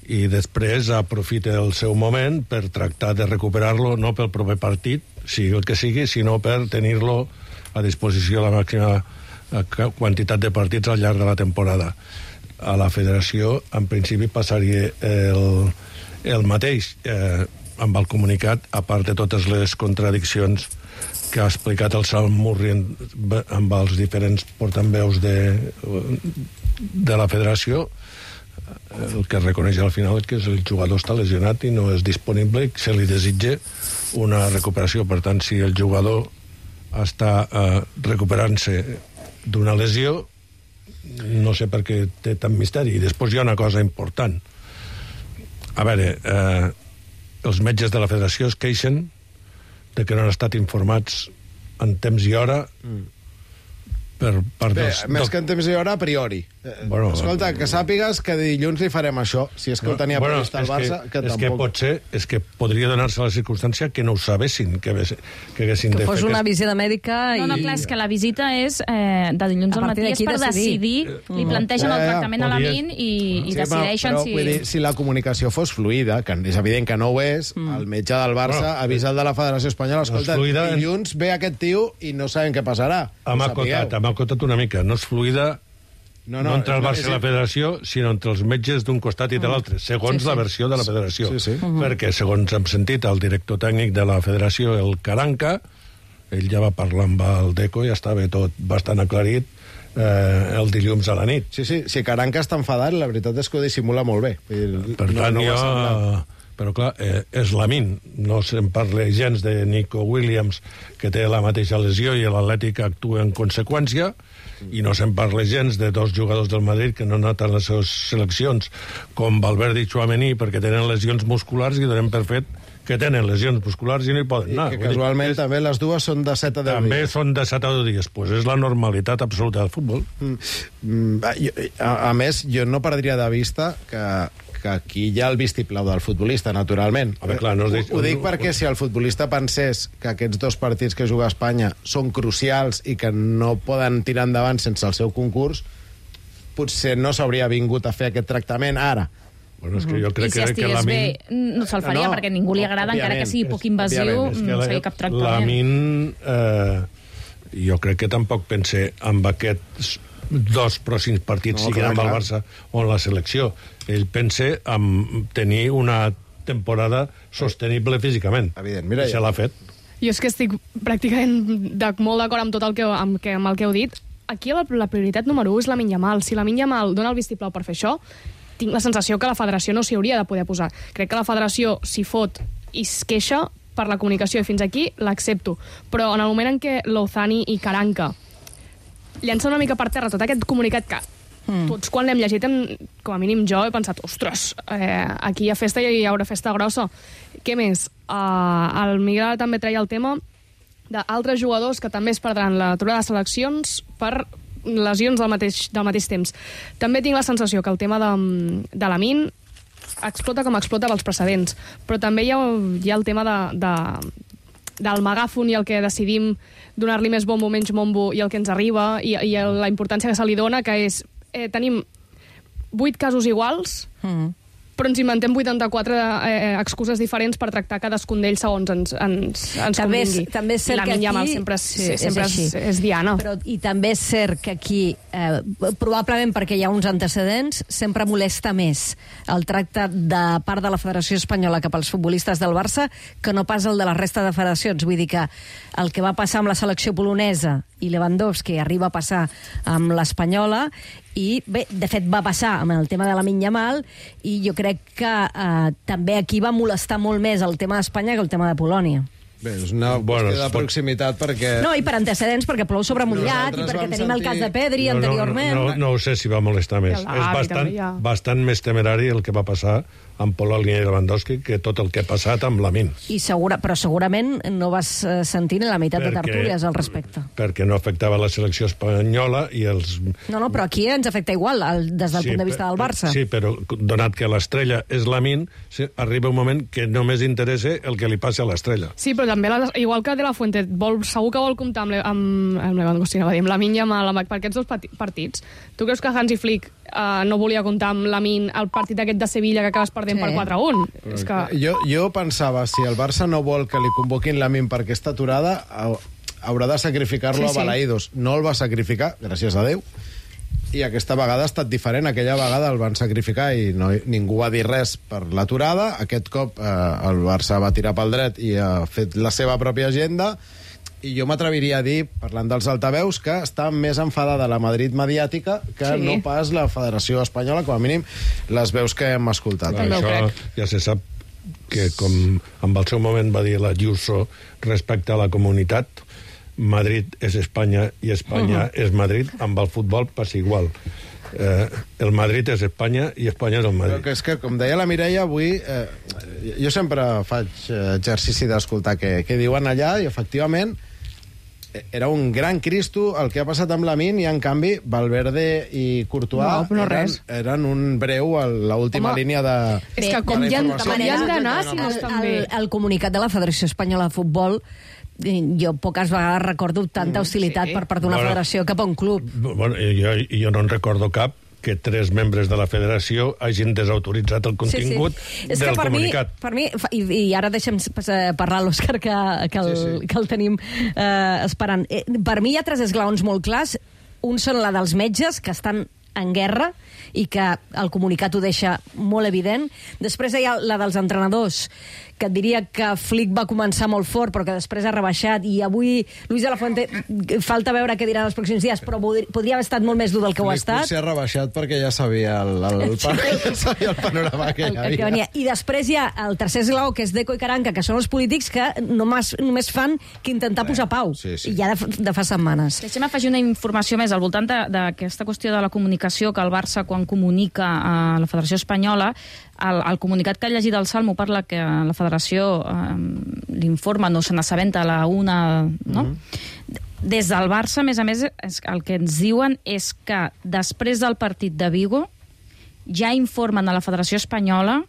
i després aprofita el seu moment per tractar de recuperar-lo, no pel proper partit, sigui el que sigui, sinó per tenir-lo a disposició la màxima quantitat de partits al llarg de la temporada. A la federació, en principi, passaria el, el mateix. Eh, amb el comunicat, a part de totes les contradiccions que ha explicat el Salm Murri amb els diferents portaveus de, de la federació, el que reconeix al final és que el jugador està lesionat i no és disponible i se li desitja una recuperació. Per tant, si el jugador està eh, recuperant-se d'una lesió, no sé per què té tant misteri. I després hi ha una cosa important. A veure, eh, els metges de la federació es queixen de que no han estat informats en temps i hora mm. per part Bé, dels... més que en temps i hora, a priori. Bueno, Escolta, que sàpigues que dilluns li farem això, si és que ho tenia bueno, previst el Barça, que, que és tampoc... que pot ser, és que podria donar-se la circumstància que no ho sabessin, que, que haguessin que de fer... fos una aquest... visita mèdica i... No, no, clar, és que la visita és eh, de dilluns al matí és per decidir, decidir li plantegen el tractament a la Min i, i sí, decideixen però, si... Vull dir, si la comunicació fos fluida, que és evident que no ho és, mm. el metge del Barça bueno, avisa el de la Federació Espanyola, escolta, fluida... dilluns ve aquest tio i no sabem què passarà. Hem acotat, hem acotat una mica, no és fluida... No, no, no entre el Barça i la federació, sinó entre els metges d'un costat i de l'altre, segons sí, sí. la versió de la federació. Sí, sí. Uh-huh. Perquè, segons hem sentit, el director tècnic de la federació, el Caranca, ell ja va parlar amb el Deco i estava tot bastant aclarit eh, el dilluns a la nit. Sí, sí, si Caranca està enfadat, la veritat és que ho dissimula molt bé. Per tant, no, no jo... Però, clar, eh, és la Min. No se'n parla gens de Nico Williams, que té la mateixa lesió i l'Atlètic actua en conseqüència, i no se'n parla gens de dos jugadors del Madrid que no han anat a les seves seleccions, com Valverde i Tchouaméni, perquè tenen lesions musculars i donem per fet que tenen lesions musculars i no hi poden anar. I que casualment és... també les dues són de set a deu també dies. També són de set a deu dies. Pues és la normalitat absoluta del futbol. Mm. A, a més, jo no perdria de vista que que aquí hi ha el vistiplau del futbolista, naturalment. A veure, clar, no dic... Ho dic perquè si el futbolista pensés que aquests dos partits que juga a Espanya són crucials i que no poden tirar endavant sense el seu concurs, potser no s'hauria vingut a fer aquest tractament ara. Bueno, és que jo crec I si que, estigués que la Min... bé, no se'l faria, no, perquè a ningú li agrada, encara que sigui poc invasiu, no seria cap tractament. La Min, eh, jo crec que tampoc pense amb aquests dos pròxims partits, no, siguin amb el Barça o en la selecció. Ell pensa en tenir una temporada sostenible físicament. Evident, mira, I se l'ha fet. Jo és que estic pràcticament de, molt d'acord amb tot el que, amb, que, amb el que heu dit. Aquí la, la prioritat número u és la Lamine Yamal. Si la Lamine Yamal dona el vistiplau per fer això, tinc la sensació que la federació no s'hi hauria de poder posar. Crec que la federació s'hi fot i es queixa per la comunicació, i fins aquí l'accepto. Però en el moment en què Lozani i Caranca llença una mica per terra tot aquest comunicat que mm. tots quan l'hem llegit, hem, com a mínim jo, he pensat, ostres, eh, aquí hi ha festa i hi haurà festa grossa. Què més? Uh, el Miguel també treia el tema d'altres jugadors que també es perdran l'aturada de seleccions per lesions del mateix, del mateix temps. També tinc la sensació que el tema de, de la Min explota com explota pels precedents, però també hi ha, hi ha el tema de, de, del megàfon i el que decidim donar-li més bombo o menys bombo i el que ens arriba i, i la importància que se li dona, que és eh, tenim vuit casos iguals, mm. però ens inventem vuitanta-quatre eh, excuses diferents per tractar cadascun d'ells segons ens, ens, ens també convingui. És, també és cert I la que Lamine Yamal aquí... sempre, és, sí, sempre és, és, és Diana. Però, I també és cert que aquí, eh, probablement perquè hi ha uns antecedents, sempre molesta més el tracte de part de la Federació Espanyola cap als futbolistes del Barça que no pas el de la resta de federacions. Vull dir que el que va passar amb la selecció polonesa i Lewandowski arriba a passar amb l'Espanyola i, bé, de fet va passar amb el tema de la Lamine Yamal i jo crec que eh, també aquí va molestar molt més el tema d'Espanya que el tema de Polònia. Bé, és una bueno, qüestió de proximitat perquè... No, i per antecedents, perquè plou sobre mullat i perquè tenim sentir... el cas de Pedri no, anteriorment. No, no, no, no ho sé si va molestar més. És bastant, bastant més temerari el que va passar amb Polònia i Lewandowski que tot el que ha passat amb Lamine. I segura, però segurament no vas eh, sentir la meitat Perquè- de tertúlies al respecte. Perquè no afectava la selecció espanyola i els... No, no, però aquí ens afecta igual, el, des del Sí, punt de vista per- del Barça. Sí, però donat que l'estrella és Lamine, sí, arriba un moment que només interessa el que li passa a l'estrella. Sí, però també, la, igual que De La Fuente, vol, segur que vol comptar amb, le, amb, amb Lewandowski, no, amb Lamine i amb la, per aquests dos pati- partits. Tu creus que Hansi Flick uh, no volia comptar amb Lamine el partit aquest de Sevilla que acabes perdent Sí. per quatre a un? És que... Jo, jo pensava, si el Barça no vol que li convoquin Lamine per aquesta aturada, hau- haurà de sacrificar-lo Sí, a sí. Balaïdos. No el va sacrificar, gràcies a Déu, i aquesta vegada ha estat diferent. Aquella vegada el van sacrificar i no, ningú va dir res per l'aturada. Aquest cop eh, el Barça va tirar pel dret i ha fet la seva pròpia agenda. I jo m'atreviria a dir, parlant dels altaveus, que està més enfadada la Madrid mediàtica que Sí. no pas la Federació Espanyola, com a mínim les veus que hem escoltat. Clar, això ja se sap que, com en el seu moment va dir la Ayuso respecte a la comunitat, Madrid és Espanya i Espanya Uh-huh. és Madrid, amb el futbol passa igual. Eh, el Madrid és Espanya i Espanya és el Però Madrid. que és que, com deia la Mireia, avui eh, jo sempre faig eh, exercici d'escoltar què, què diuen allà, i efectivament eh, era un gran Cristo el que ha passat amb Lamine, i en canvi Valverde i Courtois No, però no eren, res. eren un breu a l'última Home, línia de, és que de com la hi han- informació. com hi han d'anar, si no el, estan bé. el, el comunicat de la Federació Espanyola de Futbol, eh, jo poques vegades recordo tanta hostilitat sí. per part d'una Bueno. federació cap a un club. Bueno, jo, jo no en recordo cap que tres membres de la federació hagin desautoritzat el contingut sí, sí. És que del per comunicat. Mi, per mi, fa- i, i ara deixem eh, parlar l'Òscar, que, que, el, Sí, sí. que el tenim eh, esperant. Eh, per mi hi ha tres esglaons molt clars. Un són la dels metges, que estan en guerra i que el comunicat ho deixa molt evident. Després hi ha la dels entrenadors, que et diria que Flick va començar molt fort, però que després ha rebaixat, i avui Luis de la Fuente, falta veure què dirà en els pròxims dies, però podri- podria haver estat molt més dur del que ho ha Flick estat. potser ha rebaixat perquè ja sabia el, el, el, pan, sabia el panorama que hi El, el que havia. venia. I després hi ha el tercer esglaó, que és Deco i Caranca, que són els polítics que només, només fan que intentar posar pau. sí, sí. I ja de, de fa setmanes. Deixem afegir una informació més al voltant de- d'aquesta qüestió de la comunicació, que el Barça, quan comunica a la Federació Espanyola, el, el comunicat que ha llegit el Salmo parla que la Federació eh, l'informa, no se n'assabenta a la una, no? Mm-hmm. Des del Barça, a més a més, és, el que ens diuen és que després del partit de Vigo ja informen a la Federació Espanyola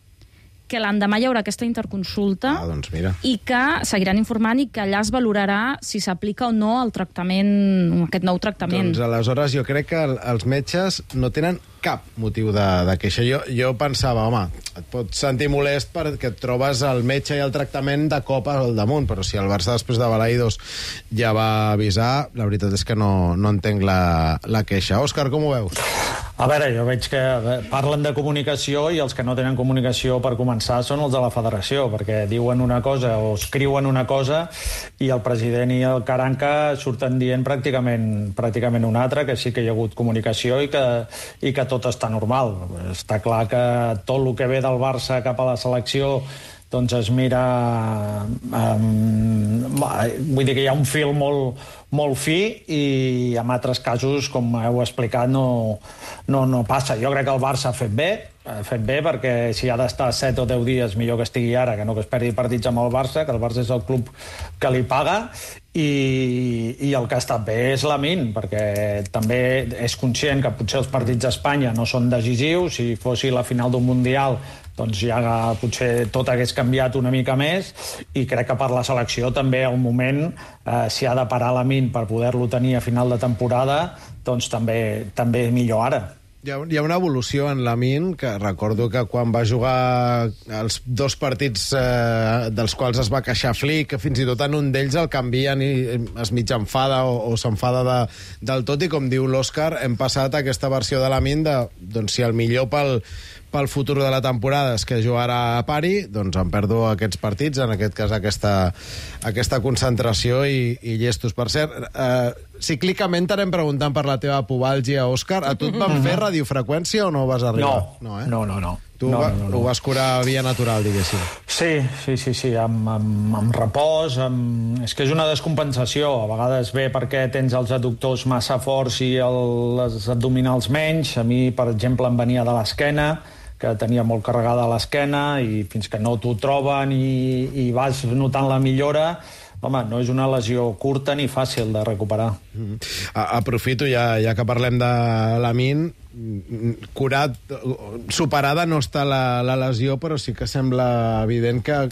que l'endemà hi haurà aquesta interconsulta Ah, doncs mira. i que seguiran informant i que allà es valorarà si s'aplica o no el tractament, aquest nou tractament. Doncs aleshores jo crec que el, els metges no tenen cap motiu de, de queixa. Jo, jo pensava, home, et pots sentir molest perquè et trobes el metge i el tractament de cop al damunt, però si el Barça després de Balaïdos ja va avisar, la veritat és que no, no entenc la, la queixa. Òscar, com ho veus? A veure, jo veig que parlen de comunicació i els que no tenen comunicació per començar són els de la federació, perquè diuen una cosa o escriuen una cosa i el president i el Caranca surten dient pràcticament, pràcticament una altra, que sí que hi ha hagut comunicació i que, i que tot està normal. Està clar que tot el que ve del Barça cap a la selecció doncs es mira... Um, vull dir que hi ha un fil molt, molt fi i en altres casos, com heu explicat, no, no, no passa. Jo crec que el Barça ha fet bé, ha fet bé perquè si ha d'estar set o deu dies millor que estigui ara, que no que es perdi partits amb el Barça, que el Barça és el club que li paga, i, i el que ha estat bé és Lamine, perquè també és conscient que potser els partits d'Espanya no són decisius. Si fossi la final d'un Mundial doncs ja potser tot hagués canviat una mica més, i crec que per la selecció també al moment, eh, si ha de parar Lamine per poder-lo tenir a final de temporada, doncs també, també millor ara. Hi ha, hi ha una evolució en Lamine, que recordo que quan va jugar els dos partits eh, dels quals es va queixar Flick, que fins i tot en un d'ells el canvien i es mig enfada o, o s'enfada de, del tot, i com diu l'Òscar, hem passat a aquesta versió de Lamine de, doncs, si el millor pel, pel futur de la temporada és que jugarà a pari, doncs em perdo aquests partits, en aquest cas aquesta, aquesta concentració i, i llestos. Per cert, eh, cíclicament t'anem preguntant per la teva pubalgia, Òscar. A tu et van fer radiofreqüència o no vas arribar? No, no, eh? no, no, no. Tu no, va, no, no. ho vas curar via natural, diguéssim. Sí, sí, sí, sí, amb, amb, amb repòs, amb... és que és una descompensació. A vegades ve perquè tens els adductors massa forts i el, les abdominals menys. A mi, per exemple, em venia de l'esquena, que tenia molt carregada a l'esquena, i fins que no t'ho troben i, i vas notant la millora, home, no és una lesió curta ni fàcil de recuperar. Mm. Aprofito, ja, ja que parlem de Lamine, curat, superada no està la, la lesió, però sí que sembla evident que,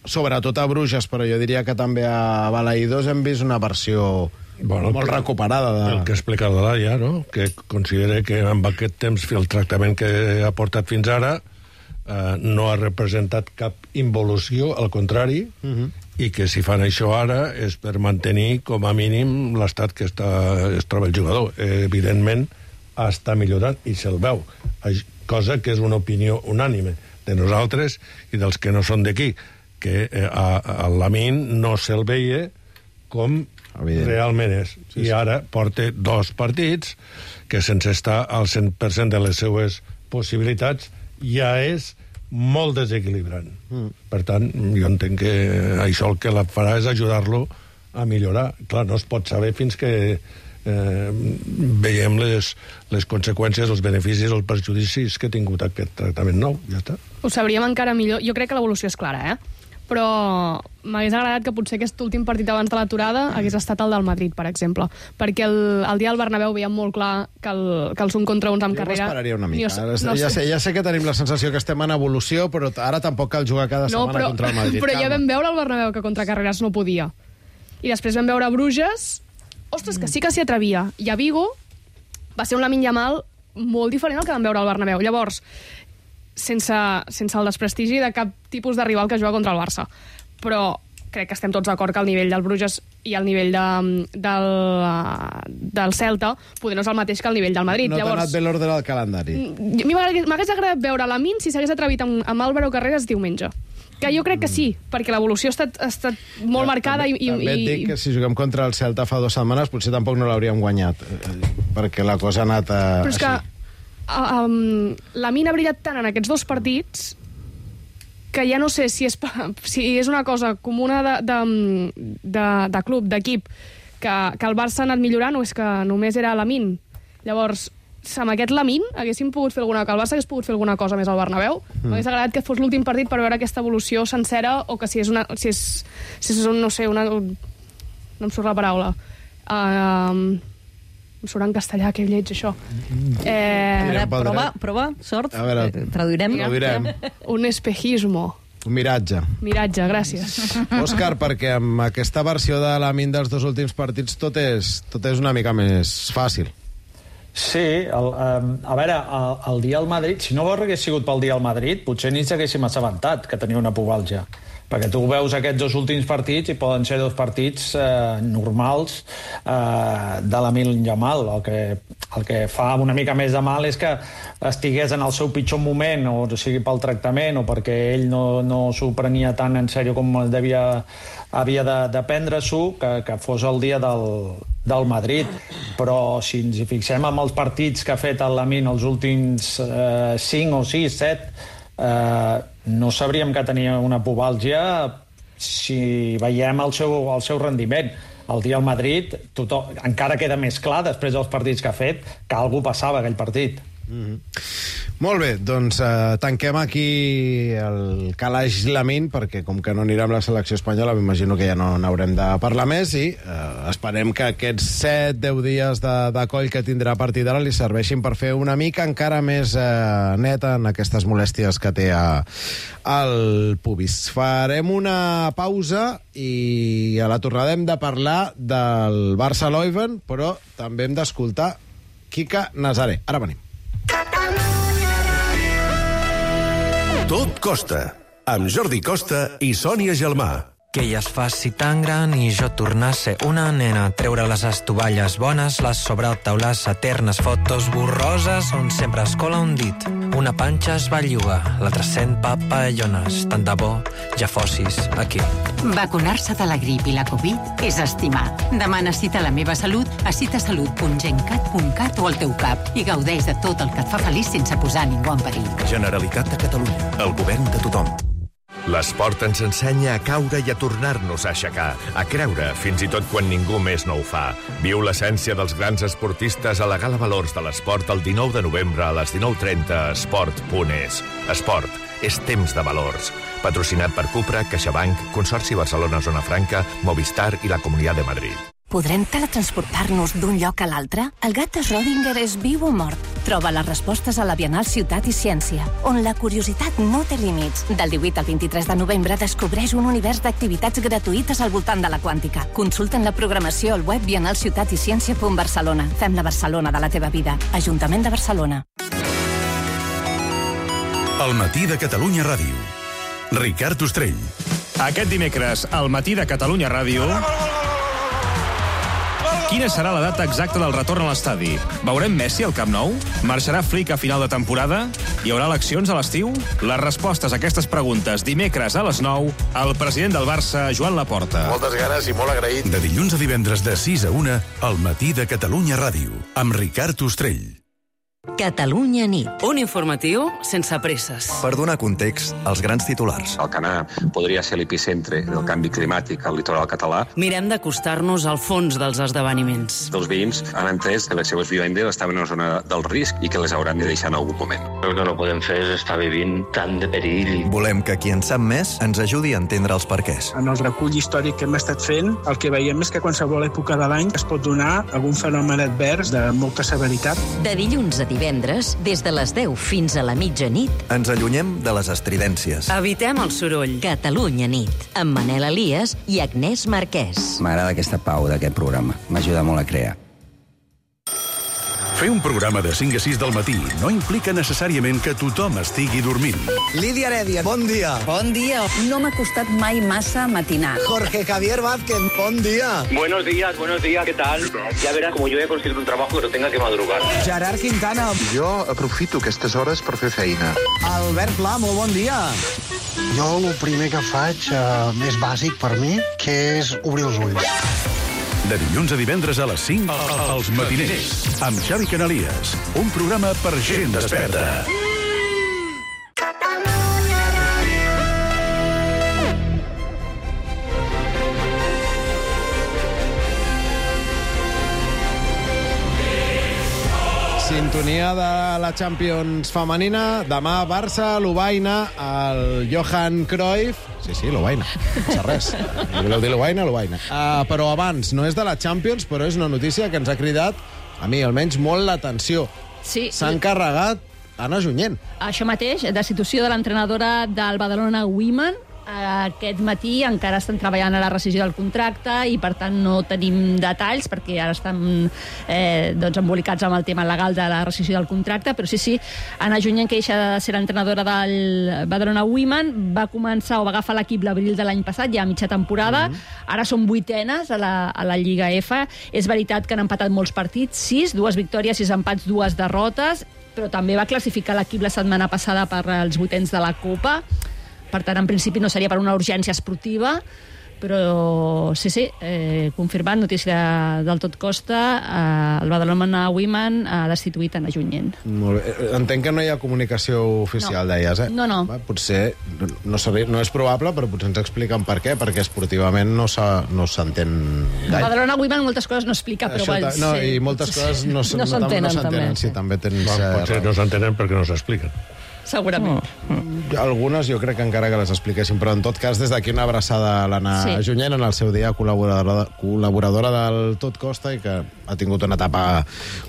sobretot a Bruges, però jo diria que també a Balaïdos, hem vist una versió bueno, molt que, recuperada. De... El que ha explicat la Laia, no? Que considera que amb aquest temps el tractament que ha portat fins ara eh, no ha representat cap involució, al contrari, uh -huh. i que si fan això ara és per mantenir com a mínim l'estat que està, es troba el jugador. Eh, evidentment està millorant i se'l veu, cosa que és una opinió unànime de nosaltres i dels que no són d'aquí, que eh, a, a Lamine no se'l veia com evident. Realment és. Sí, sí. I ara porta dos partits que sense estar al cent per cent de les seues possibilitats ja és molt desequilibrant. Mm. Per tant, jo entenc que això el que la farà és ajudar-lo a millorar. Clar, no es pot saber fins que eh, veiem les, les conseqüències, els beneficis, els perjudicis que ha tingut aquest tractament nou. Ja està. Ho sabríem encara millor. Jo crec que l'evolució és clara, eh? Però m'hagués agradat que potser aquest últim partit abans de l'aturada hagués estat el del Madrid, per exemple. Perquè el, el dia del Bernabéu veiem molt clar que, el, que els un contra uns amb jo carrera... Jo m'esperaria una mica. No, no ja, sé, ja sé que tenim la sensació que estem en evolució, però ara tampoc cal jugar cada no, setmana però, contra el Madrid. Però ja vam veure al Bernabéu que contra Carreras no podia. I després vam veure a Bruges... Ostres, que sí que s'hi atrevia. I a Vigo va ser un Lamine Yamal molt diferent al que vam veure al Bernabéu. Llavors, sense, sense el desprestigi de cap tipus de rival que juga contra el Barça. Però crec que estem tots d'acord que el nivell del Bruges i el nivell de, del, del Celta poder no és el mateix que el nivell del Madrid. No t'ha Llavors, anat bé l'ordre del calendari. M'hagués agradat veure Lamine si s'hagués atrevit amb, amb Álvaro Carreras diumenge. Que jo crec que sí, perquè l'evolució ha estat, ha estat molt ja, marcada. També, i, també i, et dic que si juguem contra el Celta fa dues setmanes potser tampoc no l'hauríem guanyat, perquè la cosa ha anat a, però és així. Que um, Lamine ha brillat tant en aquests dos partits que ja no sé si és, si és una cosa comuna de, de, de, de club, d'equip, que, que el Barça ha anat millorant o és que només era Lamine. Llavors, amb aquest Lamine haguéssim pogut fer alguna cosa, el Barça hagués pogut fer alguna cosa més al Bernabéu. Mm. M'hagués agradat que fos l'últim partit per veure aquesta evolució sencera, o que si és una... Si és, si és un, no sé, una... No em surt la paraula. Uh, em surt en castellà, que lleig, això. Eh, prova, prova, sort. A veure, traduirem. traduirem. Un espejismo. Un miratge. Miratge, gràcies. Òscar, perquè amb aquesta versió de Lamine dels dos últims partits tot és, tot és una mica més fàcil. Sí, el, um, a veure, el, el dia al Madrid, si no hagués sigut pel dia al Madrid, potser ni s'haguéssim assabentat que tenia una pubalgia. Perquè tu veus aquests dos últims partits i poden ser dos partits eh, normals eh, de Lamine Yamal. El que, el que fa una mica més de mal és que estigués en el seu pitjor moment, o sigui pel tractament, o perquè ell no, no s'ho prenia tan en sèrio com devia, havia de, de prendre-s'ho, que, que fos el dia del, del Madrid. Però si ens hi fixem amb els partits que ha fet el Lamine els últims eh, cinc o sis, set, eh, no sabríem que tenia una pubalgia si veiem el seu, el seu rendiment. El dia al Madrid tothom, encara queda més clar després dels partits que ha fet que algú passava aquell partit. Mm-hmm. Molt bé, doncs eh, tanquem aquí el calaix Lamine, perquè com que no anirà amb la selecció espanyola m'imagino que ja no n'haurem de parlar més, i eh, esperem que aquests set deu dies de, de coll que tindrà a partir d'ara li serveixin per fer una mica encara més eh, neta en aquestes molèsties que té a, al pubis. Farem una pausa i a la tornada hem de parlar del Barça-Leuven, però també hem d'escoltar Quique Nazaré. Ara venim. Tot Costa, amb Jordi Costa i Sònia Gelmà. Que ella es faci tan gran i jo tornar a ser una nena, treure les estovalles bones, les sobretaulades eternes, fotos borroses on sempre es cola un dit. Una panxa es belluga, l'altra sent papallones, tant de bo ja fossis aquí. Vacunar-se de la grip i la Covid és estimar. Demana cita a La Meva Salut a citasalut punt gencat punt cat o al teu cap i gaudeix de tot el que et fa feliç sense posar ningú en perill. Generalitat de Catalunya, el govern de tothom. L'esport ens ensenya a caure i a tornar-nos a aixecar, a creure, fins i tot quan ningú més no ho fa. Viu l'essència dels grans esportistes a la Gala Valors de l'Esport el dinou de novembre a les dinou trenta a esport punt es. Esport, és temps de valors. Patrocinat per Cupra, CaixaBank, Consorci Barcelona Zona Franca, Movistar i la Comunitat de Madrid. Podrem teletransportar-nos d'un lloc a l'altre? El gat de Schrödinger és viu o mort? Troba les respostes a la Bienal Ciutat i Ciència, on la curiositat no té límits. Del divuit al vint-i-tres de novembre descobreix un univers d'activitats gratuïtes al voltant de la quàntica. Consulta'n la programació al web bienalciutaticiència punt barcelona. Fem la Barcelona de la teva vida. Ajuntament de Barcelona. El matí de Catalunya Ràdio. Ricard Ostrell. Aquest dimecres, al matí de Catalunya Ràdio... Quina serà la data exacta del retorn a l'estadi? Veurem Messi al Camp Nou? Marxarà Flick a final de temporada? Hi haurà eleccions a l'estiu? Les respostes a aquestes preguntes dimecres a les nou, el president del Barça, Joan Laporta. Moltes ganes i molt agraït. De dilluns a divendres de sis a una, al matí de Catalunya Ràdio, amb Ricard Ostrell. Catalunya nit. Un informatiu sense presses. Per donar context als grans titulars. Alcanar podria ser l'epicentre del canvi climàtic al litoral català. Mirem d'acostar-nos al fons dels esdeveniments. Els veïns han entès que les seves vivendes estaven en una zona del risc i que les hauran de deixar en algun moment. El que no podem fer és estar vivint tant de perill. Volem que qui en sap més ens ajudi a entendre els perquès. En el recull històric que hem estat fent, el que veiem és que a qualsevol època de l'any es pot donar algun fenomen advers de molta severitat. De dilluns a divendres, des de les deu fins a la mitjanit, ens allunyem de les estridències. Evitem el soroll. Catalunya nit, amb Manel Elias i Agnès Marquès. M'agrada aquesta pau d'aquest programa. M'ajuda molt a crear. Fer un programa de cinc a sis del matí no implica necessàriament que tothom estigui dormint. Lídia Heredia, bon dia. Bon dia. No m'ha costat mai massa matinar. Jorge Javier Vázquez, bon dia. Buenos días, buenos días, ¿qué tal? Ya verás como yo he conseguido un trabajo que no tenga que madrugar. Gerard Quintana. Jo aprofito aquestes hores per fer feina. Albert Pla, molt bon dia. Jo el primer que faig, eh, més bàsic per mi, que és obrir els ulls. De dilluns a divendres a les cinc, als matiners, amb Xavi Canalies. Un programa per gent desperta. Sintonia de la Champions femenina. Demà, Barça, Lovaina, el Johan Cruyff. Sí, sí, Lovaina. Sense res. Si voleu dir Lovaina, Lovaina. Uh, però abans, no és de la Champions, però és una notícia que ens ha cridat, a mi almenys, molt l'atenció. Sí. S'ha encarregat Anna Junyent. Això mateix, destitució de l'entrenadora del Badalona Women. Aquest matí encara estan treballant a la rescissió del contracte i, per tant, no tenim detalls perquè ara estan eh, doncs, embolicats amb el tema legal de la rescissió del contracte, però sí, sí, Anna Junyent, que deixa de ser l'entrenadora del Badalona Women, va començar o va agafar l'equip l'abril de l'any passat, ja a mitja temporada. Mm-hmm. Ara són vuitenes a la, a la Lliga F. És veritat que han empatat molts partits, sis, dues victòries, sis empats, dues derrotes, però també va classificar l'equip la setmana passada per als vuitens de la Copa. Per tant, en principi no seria per una urgència esportiva, però sí, sí, eh, confirmat, notícia de, del tot costa, eh, el Badalona Women ha destituït Anna Junyent. Molt bé. Entenc que no hi ha comunicació oficial, no. Deies, eh? No, no. Va, potser, no, sabria, no és probable, però potser ens expliquen per què, perquè esportivament no s'entén no gaire. El Badalona Women moltes coses no explica, però... Això, val, no, sí. I moltes coses no, no, no s'entenen, no també. Sí, també tens... Bueno, potser no s'entenen perquè no s'expliquen. Segurament. Oh. Algunes jo crec que encara que les expliquessin, però en tot cas des d'aquí una abraçada a l'Anna sí. Junyent, en el seu dia col·laboradora, col·laboradora del Tot Costa i que ha tingut una etapa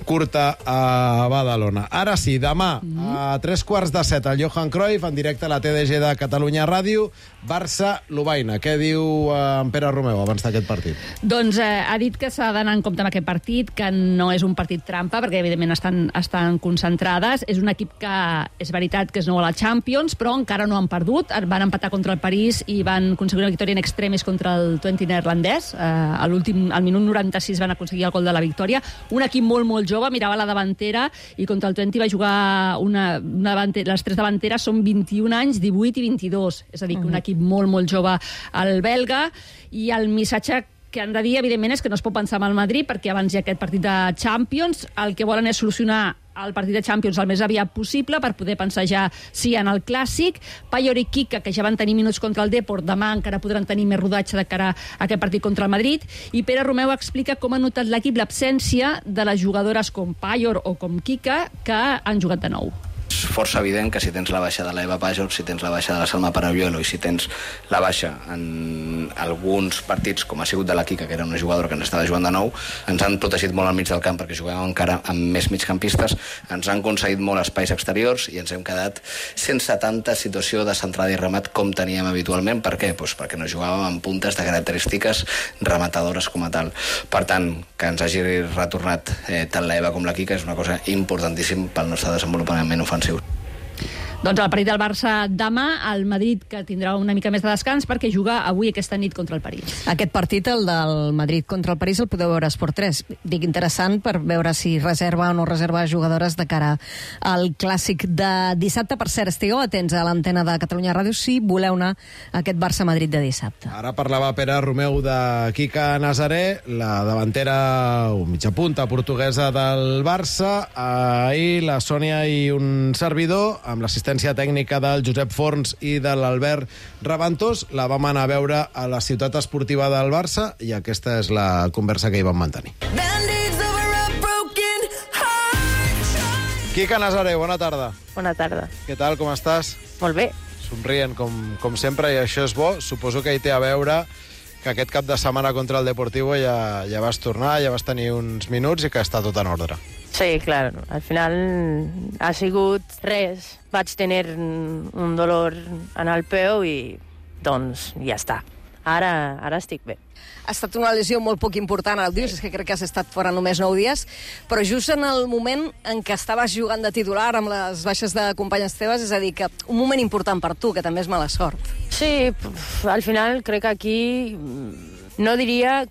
curta a Badalona. Ara sí, demà mm. a tres quarts de set el Johan Cruyff en directe a la T D G de Catalunya Ràdio, Barça-Lovaina. Què diu eh, en Pere Romeu abans d'aquest partit? Doncs eh, ha dit que s'ha d'anar en compte amb aquest partit, que no és un partit trampa, perquè evidentment estan, estan concentrades. És un equip que és veritat que és nou a la Champions, però encara no han perdut. Van empatar contra el París i van aconseguir una victòria en extremis contra el Twente neerlandès. Eh, a l'últim, al minut noranta-sis van aconseguir el gol de la victòria. Un equip molt, molt jove, mirava la davantera i contra el Twente va jugar una, una davantera, les tres davanteres són vint-i-un anys, divuit i vint-i-dos. És a dir, que un equip molt, molt jove, el belga, i el missatge que han de dir, evidentment, és que no es pot pensar en el Madrid, perquè abans hi ha aquest partit de Champions. El que volen és solucionar el partit de Champions el més aviat possible per poder pensar ja sí en el Clàssic. Payol i Quique, que ja van tenir minuts contra el Depor, demà encara podran tenir més rodatge de cara a aquest partit contra el Madrid. I Pere Romeu explica com ha notat l'equip l'absència de les jugadores com Payol o com Quique, que han jugat de nou. És força evident que si tens la baixa de l'Eva Pajor, si tens la baixa de la Salma Parayuelo i si tens la baixa en alguns partits, com ha sigut de la Quique, que era una jugadora que ens estava jugant de nou, ens han protegit molt al mig del camp perquè jugàvem encara amb més migcampistes, ens han concedit molt espais exteriors i ens hem quedat sense tanta situació de centrada i remat com teníem habitualment. Per què? Pues perquè no jugàvem amb puntes de característiques rematadores com a tal. Per tant, que ens hagi retornat eh, tant l'Eva com la Quique és una cosa importantíssim pel nostre desenvolupament ofensiu. Doncs el partit del Barça demà, el Madrid, que tindrà una mica més de descans perquè juga avui aquesta nit contra el París. Aquest partit, el del Madrid contra el París, el podeu veure a Esport tres. Dic interessant per veure si reserva o no reserva jugadores de cara al Clàssic de dissabte. Per cert, estigueu atents a l'antena de Catalunya Ràdio si voleu anar a aquest Barça-Madrid de dissabte. Ara parlava Pere Romeu de Quique Nazaré, la davantera o mitja punta portuguesa del Barça. Ahir la Sònia i un servidor, amb l'assistent tècnica del Josep Forns i de l'Albert Raventós, la vam anar a veure a la ciutat esportiva del Barça i aquesta és la conversa que hi vam mantenir. Quique Nazaré, bona tarda. Bona tarda. Què tal, com estàs? Molt bé. Somrient, com, com sempre, i això és bo. Suposo que hi té a veure que aquest cap de setmana contra el Deportivo ja, ja vas tornar, ja vas tenir uns minuts i que està tot en ordre. Sí, clar. Al final ha sigut res. Vaig tenir un dolor en el peu i, doncs, ja està. Ara, ara estic bé. Ha estat una lesió molt poc important, el dius, és que crec que has estat fora només nou dies, però just en el moment en què estaves jugant de titular amb les baixes de companyes teves, és a dir, que un moment important per tu, que també és mala sort. Sí, al final crec que aquí no diria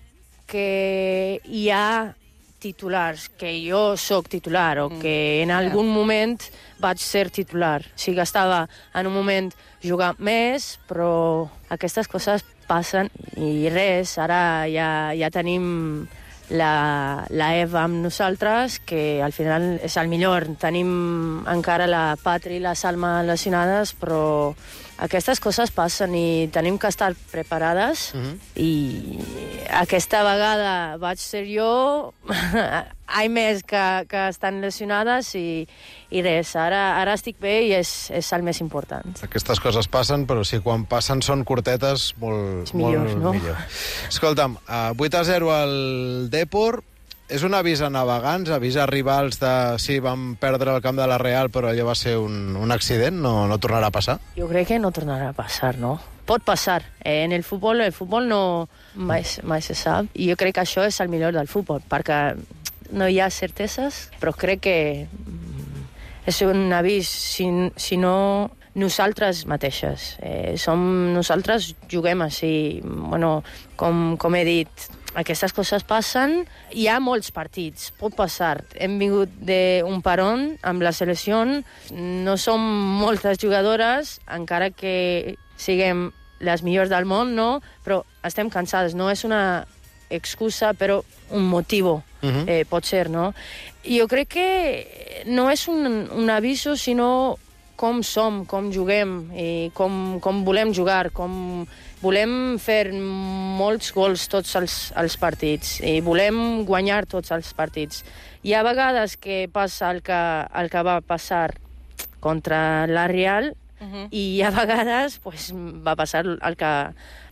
que hi ha titulars, que jo sóc titular o que en algun moment vaig ser titular. Sí que estava en un moment jugant més, però aquestes coses passen i res, ara ja, ja tenim la, la Eva amb nosaltres, que al final és el millor. Tenim encara la Patri i la Salma lesionades, però aquestes coses passen i tenim que estar preparades. Uh-huh. I aquesta vegada vaig ser jo, hi més que, que estan lesionades i, i res, ara, ara estic bé i és, és el més important. Aquestes coses passen, però si quan passen són curtetes, molt, millor, molt no? millor. Escolta'm, uh, vuit a zero al Depor. És un avís a navegants, avís a rivals de... Sí, vam perdre el camp de la Real, però allò va ser un, un accident, no, no tornarà a passar? Jo crec que no tornarà a passar, no? Pot passar. Eh, en el futbol, el futbol no mai, mai se sap. I jo crec que això és el millor del futbol, perquè no hi ha certeses, però crec que és un avís, si, si no nosaltres mateixes. Eh, som, nosaltres juguem així, bueno, com, com he dit, aquestes coses passen. Hi ha molts partits, pot passar. Hem vingut d'un paron amb la selecció, no som moltes jugadores, encara que siguem les millors del món, no? Però estem cansades, no és una excusa, però un motiu, uh-huh. eh, pot ser, no? Jo crec que no és un, un aviso, sinó com som, com juguem, i com, com volem jugar, com volem fer molts gols tots els, els partits i volem guanyar tots els partits. Hi ha vegades que passa el que, el que va passar contra la Real, uh-huh. i hi ha vegades pues, va passar el que,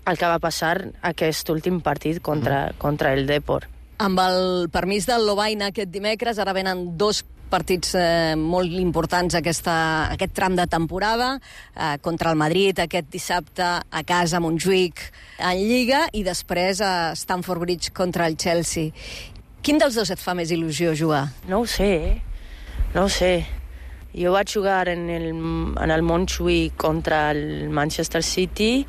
el que va passar aquest últim partit contra, uh-huh. contra el Depor. Amb el permís del Lovaina aquest dimecres, ara venen dos partits eh, molt importants aquesta, aquest tram de temporada, eh, contra el Madrid aquest dissabte a casa a Montjuïc en Lliga i després a Stamford Bridge contra el Chelsea. Quin dels dos et fa més il·lusió jugar? No ho sé, no ho sé. Jo vaig jugar en el, en el Montjuïc contra el Manchester City.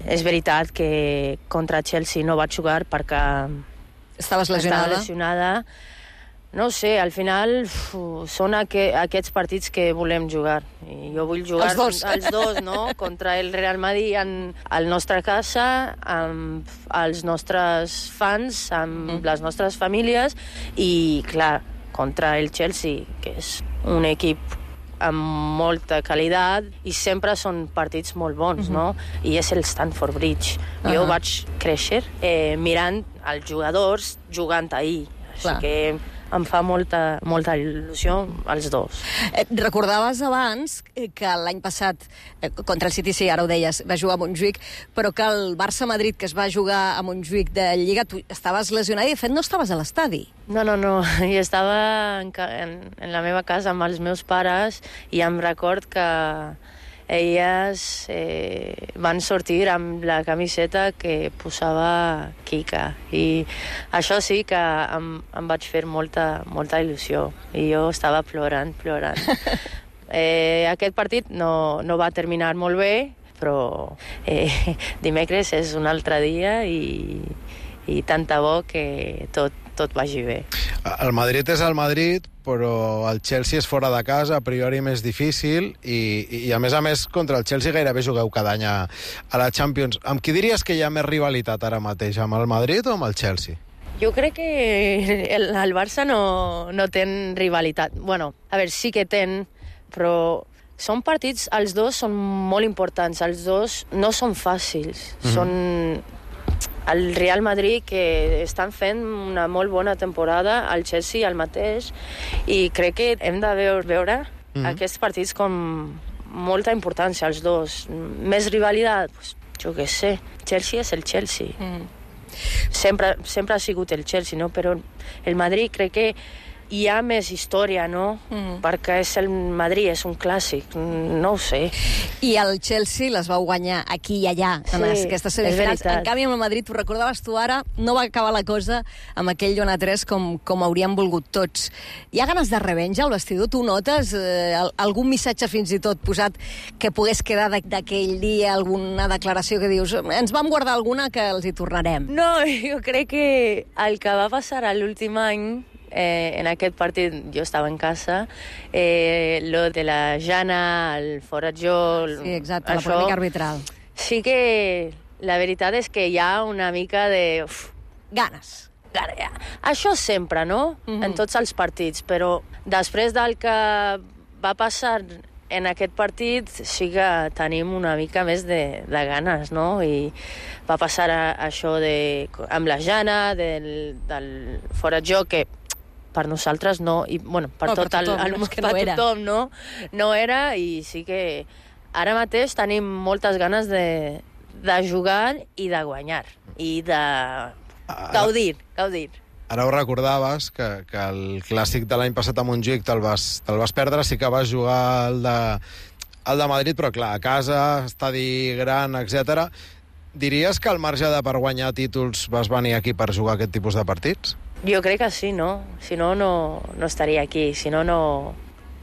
És veritat que contra el Chelsea no vaig jugar perquè estaves lesionada. Estava lesionada. no sé, al final uf, són aqu aquests partits que volem jugar. I jo vull jugar els dos, els dos no? Contra el Real Madrid en, a la nostra casa, amb els nostres fans, amb mm. les nostres famílies i, clar, contra el Chelsea, que és un equip amb molta qualitat i sempre són partits molt bons, no? I és el Stamford Bridge. Uh -huh. Jo vaig créixer eh, mirant els jugadors jugant ahir. Així Clar. que em fa molta, molta il·lusió els dos. Eh, recordaves abans que l'any passat, eh, contra el City, sí, ara ho deies, va jugar a Montjuïc, però que el Barça-Madrid, que es va jugar a Montjuïc de Lliga, tu estaves lesionada i, de fet, no estaves a l'estadi. No, no, no. Jo estava en, en, en la meva casa amb els meus pares i em record que elles eh, van sortir amb la camiseta que posava Kika. I això sí que em, em vaig fer molta, molta il·lusió. I jo estava plorant, plorant. eh, aquest partit no, no va terminar molt bé, però eh, dimecres és un altre dia i, i tant de bo que tot, tot vagi bé. El Madrid és el Madrid, però el Chelsea és fora de casa, a priori més difícil, i, i a més a més contra el Chelsea gairebé jugueu cada any a, a la Champions. Amb qui diries que hi ha més rivalitat ara mateix, amb el Madrid o amb el Chelsea? Jo crec que el, el Barça no, no té rivalitat. Bueno, a veure, sí que ten, però són partits, els dos són molt importants, els dos no són fàcils, mm-hmm. són el Real Madrid, que estan fent una molt bona temporada, el Chelsea el mateix, i crec que hem de veure, veure mm-hmm. aquests partits com molta importància, els dos. Més rivalitat, pues, jo què sé, Chelsea és el Chelsea. Mm. Sempre, sempre ha sigut el Chelsea, no? Però el Madrid crec que hi ha més història, no? Mm. Perquè és el Madrid, és un clàssic, no ho sé. I el Chelsea les va guanyar aquí i allà, en sí, aquestes semifinals. En canvi, amb el Madrid, ho recordaves tu ara, no va acabar la cosa amb aquell Jon a tres com, com hauríem volgut tots. Hi ha ganes de revenja al vestidor? Tu notes eh, algun missatge fins i tot posat que pogués quedar d'aquell dia, alguna declaració que dius ens vam guardar alguna que els hi tornarem? No, jo crec que el que va passar a l'últim any Eh, en aquest partit jo estava en casa, eh, lo de la Jana, el Forajó... Sí, exacte, això, la polèmica arbitral. Sí que la veritat és que hi ha una mica de... Uf, ganes. Ja. Això sempre, no? Mm-hmm. En tots els partits, però després del que va passar en aquest partit sí que tenim una mica més de, de ganes, no? I va passar a, això de, amb la Jana, del, del Forajó, que per nosaltres no, i bueno, per, oh, tot per tothom, el, el, no, per no tothom no, no era, i sí que ara mateix tenim moltes ganes de, de jugar i de guanyar, i de gaudir, gaudir. Ara ho recordaves, que, que el clàssic de l'any passat a Montjuïc te'l vas, te vas perdre, sí que vas jugar el de, el de Madrid, però clar, a casa, estadi gran, etcètera. Diries que al marge de per guanyar títols vas venir aquí per jugar aquest tipus de partits? Jo crec que sí, no? Si no, no, no estaria aquí. Si no, no...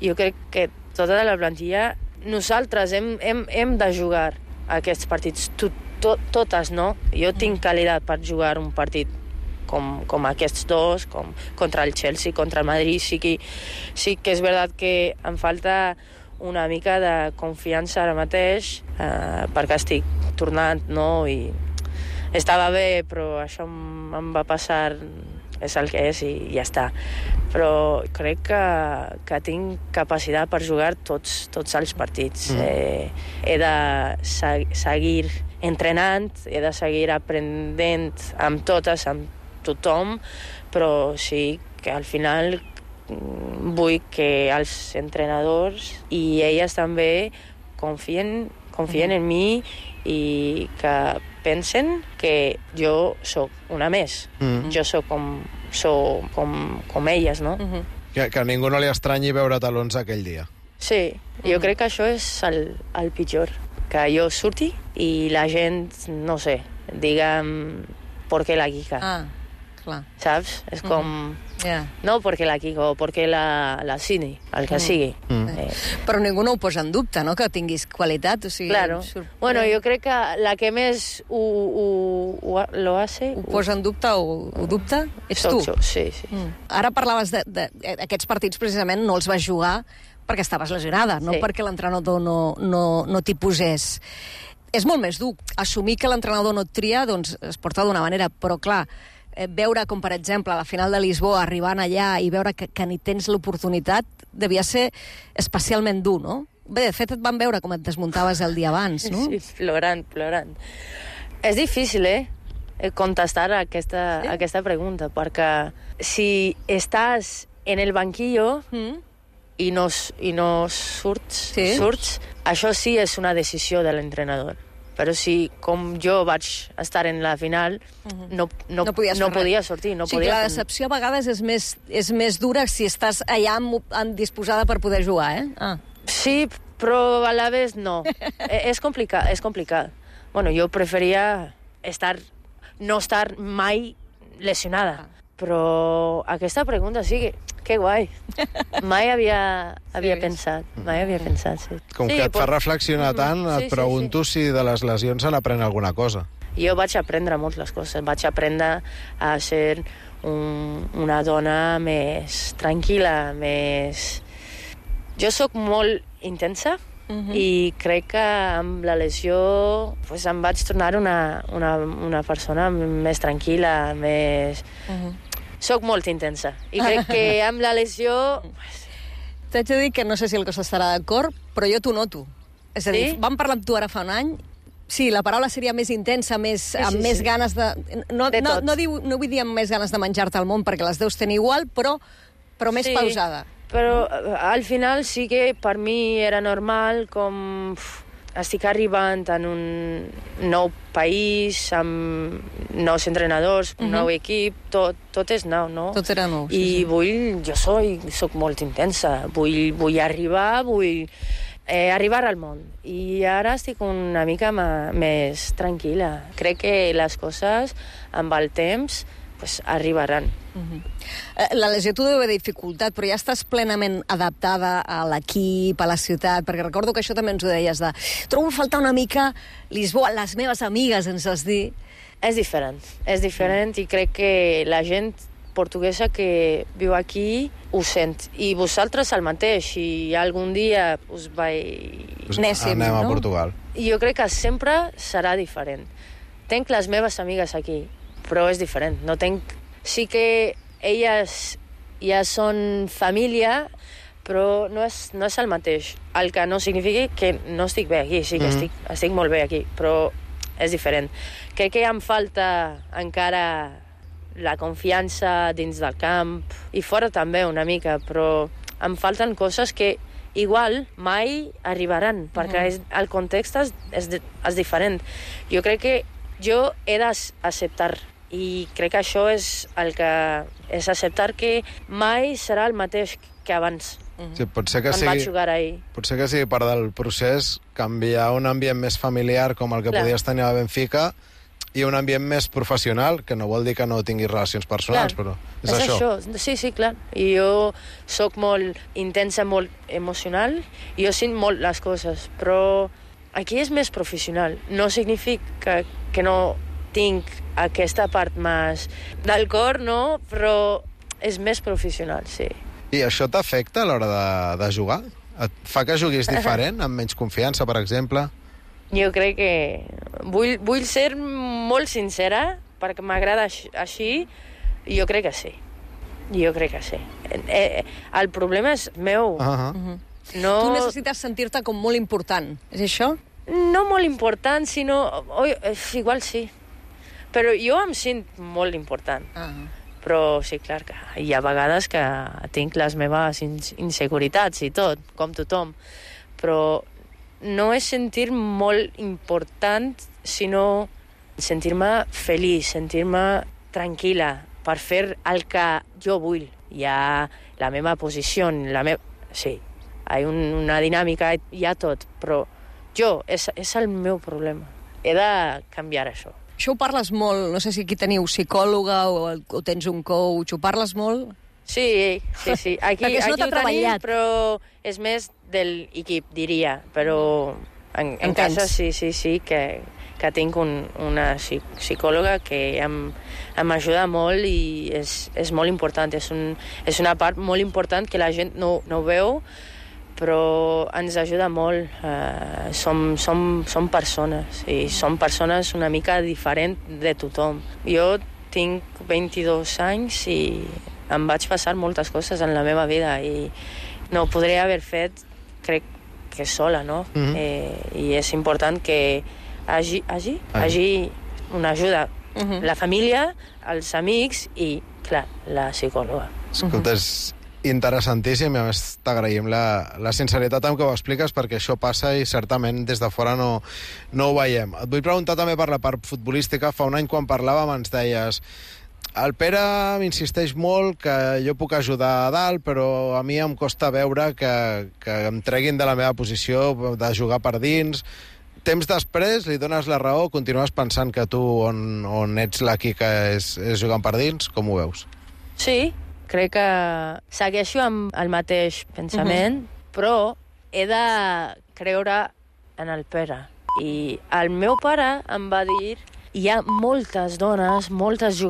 Jo crec que tota la plantilla, nosaltres hem, hem, hem de jugar aquests partits, tot, tot, totes, no? Jo tinc qualitat per jugar un partit com, com aquests dos, com contra el Chelsea, contra el Madrid. Sí que, sí que és veritat que em falta una mica de confiança ara mateix, eh, perquè estic tornant, no? I estava bé, però això em, em va passar... és el que és i ja està. Però crec que, que tinc capacitat per jugar tots, tots els partits. Mm. Eh, he de seg seguir entrenant, he de seguir aprenent amb totes, amb tothom, però sí que al final vull que els entrenadors i elles també confien, confien mm. en mi i que pensen que jo sóc una més. Mm. Jo sóc com, sóc com, com elles, no? Mm -hmm. que, que a ningú no li estranyi veure talons aquell dia. Sí, jo mm -hmm. crec que això és el, el pitjor. Que jo surti i la gent, no sé, digue'm, ¿por qué la Kika? Ah. Clar. Saps? És com... Mm-hmm. yeah. No perquè la Kiko, perquè la, la Cini, el que mm. sigui. Mm. Eh. Però ningú no ho posa en dubte, no?, que tinguis qualitat. O sigui, claro. Sorprèn... Bueno, jo crec que la que més ho, ho, ho, lo hace... Ho posa en dubte o ho dubta? Ets tu? Jo, sí, sí. Mm. Ara parlaves d'aquests partits, precisament, no els vas jugar perquè estaves lesionada, no sí. perquè l'entrenador no, no, no t'hi posés. És molt més dur. Assumir que l'entrenador no et tria, doncs es porta d'una manera, però clar, veure com, per exemple, a la final de Lisboa, arribant allà i veure que, que ni tens l'oportunitat, devia ser especialment dur, no? Bé, de fet, et van veure com et desmuntaves el dia abans, no? Sí, plorant, plorant. És difícil, eh?, contestar a aquesta, sí? aquesta pregunta, perquè si estàs en el banquillo mm. i no, i no surts, sí? surts, això sí és una decisió de l'entrenador. Però si, com jo vaig estar en la final, uh-huh. no, no, no, no podia sortir. No o sigui, podia la decepció a vegades és més, és més dura si estàs allà disposada per poder jugar, eh? Ah. Sí, però a la vegada no. és complicat, és complicat. Bueno, jo preferia estar, no estar mai lesionada. Però aquesta pregunta sí que, que guai. Mai havia, havia sí, pensat, mai havia pensat, sí. Com sí, que et fa reflexionar tant, sí, et pregunto sí, sí. si de les lesions se n'aprèn alguna cosa. Jo vaig aprendre moltes coses. Vaig aprendre a ser un, una dona més tranquil·la, més... Jo sóc molt intensa, Uh-huh. i crec que amb la lesió pues, em vaig tornar una, una, una persona més tranquil·la, més... Uh-huh. Soc molt intensa i crec que amb la lesió... T'haig de dir que no sé si el Costa estarà d'acord, però jo t'ho noto. És a dir, sí? Vam parlar amb tu ara fa un any, sí, la paraula seria més intensa, més, sí, sí, amb sí. més ganes de... No, de no, no, diu, no vull dir amb més ganes de menjar-te al món, perquè les deus tenir igual, però, però més sí. pausada. Però al final sí que per mi era normal, com uf, estic arribant en un nou país, amb nous entrenadors, un uh-huh. nou equip, tot, tot és nou, no? Tot era nou, sí, I sí. vull, jo soy, soc molt intensa, vull, vull arribar, vull eh, arribar al món. I ara estic una mica ma, més tranquil·la. Crec que les coses, amb el temps, pues, arribaran. Uh-huh. La lesió t'ho deu haver dificultat, però ja estàs plenament adaptada a l'equip, a la ciutat, perquè recordo que això també ens ho deies de... Trobo a faltar una mica Lisboa, les meves amigues, ens has dit. És diferent, és diferent i crec que la gent portuguesa que viu aquí ho sent. I vosaltres el mateix, si algun dia us vaig... Néssim, anem a no? Portugal. Jo crec que sempre serà diferent. Tenc les meves amigues aquí, però és diferent. No tenc... Sí que elles ja són família, però no és, no és el mateix. El que no significa que no estic bé aquí, sí que mm-hmm. estic, estic molt bé aquí, però és diferent. Crec que em falta encara la confiança dins del camp, i fora també una mica, però em falten coses que igual mai arribaran, perquè és, el context és, és, és diferent. Jo crec que jo he d'acceptar, i crec que això és el que és acceptar que mai serà el mateix que abans. Sí, pot ser que quan sigui, vaig jugar ahir. Pot ser que sigui part del procés canviar un ambient més familiar com el que Clar. podies tenir a Benfica i un ambient més professional, que no vol dir que no tinguis relacions personals, clar, però és, és això. això. Sí, sí, clar. I jo sóc molt intensa, molt emocional, i jo sent molt les coses, però aquí és més professional. No significa que no tinc aquesta part més del cor, no? Però és més professional, sí. I això t'afecta a l'hora de, de jugar? Et fa que juguis diferent, amb menys confiança, per exemple? Jo crec que... Vull, vull ser molt sincera, perquè m'agrada així, i jo crec que sí. Jo crec que sí. Eh, el problema és meu. Uh-huh. Uh-huh. No... Tu necessites sentir-te com molt important, és això? No molt important, sinó... Oh, igual sí. Però jo em sent molt important. Uh-huh. Però sí, clar, que hi ha vegades que tinc les meves inseguritats i tot, com tothom. Però no és sentir molt important, sinó sentir-me feliç, sentir-me tranquil·la per fer el que jo vull. Hi ha la meva posició, la meva... Sí, hi ha un, una dinàmica, hi ha tot, però jo, és, és el meu problema. He de canviar això. Això ho parles molt, no sé si aquí teniu psicòloga o, o tens un coach, ho parles molt? Sí, sí, sí. Aquí, Perquè es aquí nota ho tenim, treballat. però és més de l'equip, diria. Però en, en Entens. casa sí, sí, sí, que, que tinc un, una psi- psicòloga que em, em ajuda molt i és, és molt important. És, un, és una part molt important que la gent no, no veu, però ens ajuda molt. Uh, som, som, som persones, i som persones una mica diferent de tothom. Jo tinc vint-i-dos anys i em vaig passar moltes coses en la meva vida i no ho podria haver fet, crec que sola, no? Mhm. eh, I és important que hagi, hagi, hagi una ajuda. Mhm. La família, els amics i, clar, la psicòloga. Escolta, és interessantíssim i a més t'agraïm la, la sinceritat amb què ho expliques, perquè això passa i certament des de fora no, no ho veiem. Et vull preguntar també per la part futbolística. Fa un any quan parlàvem ens deies: el Pere m'insisteix molt que jo puc ajudar a dalt, però a mi em costa veure que, que em treguin de la meva posició de jugar per dins. Temps després li dones la raó, continues pensant que tu on, on ets la Quica és, és jugant per dins? Com ho veus? Sí, crec que segueixo amb el mateix pensament, uh-huh. però he de creure en el Pere. I el meu pare em va dir: hi ha moltes dones, moltes jugadores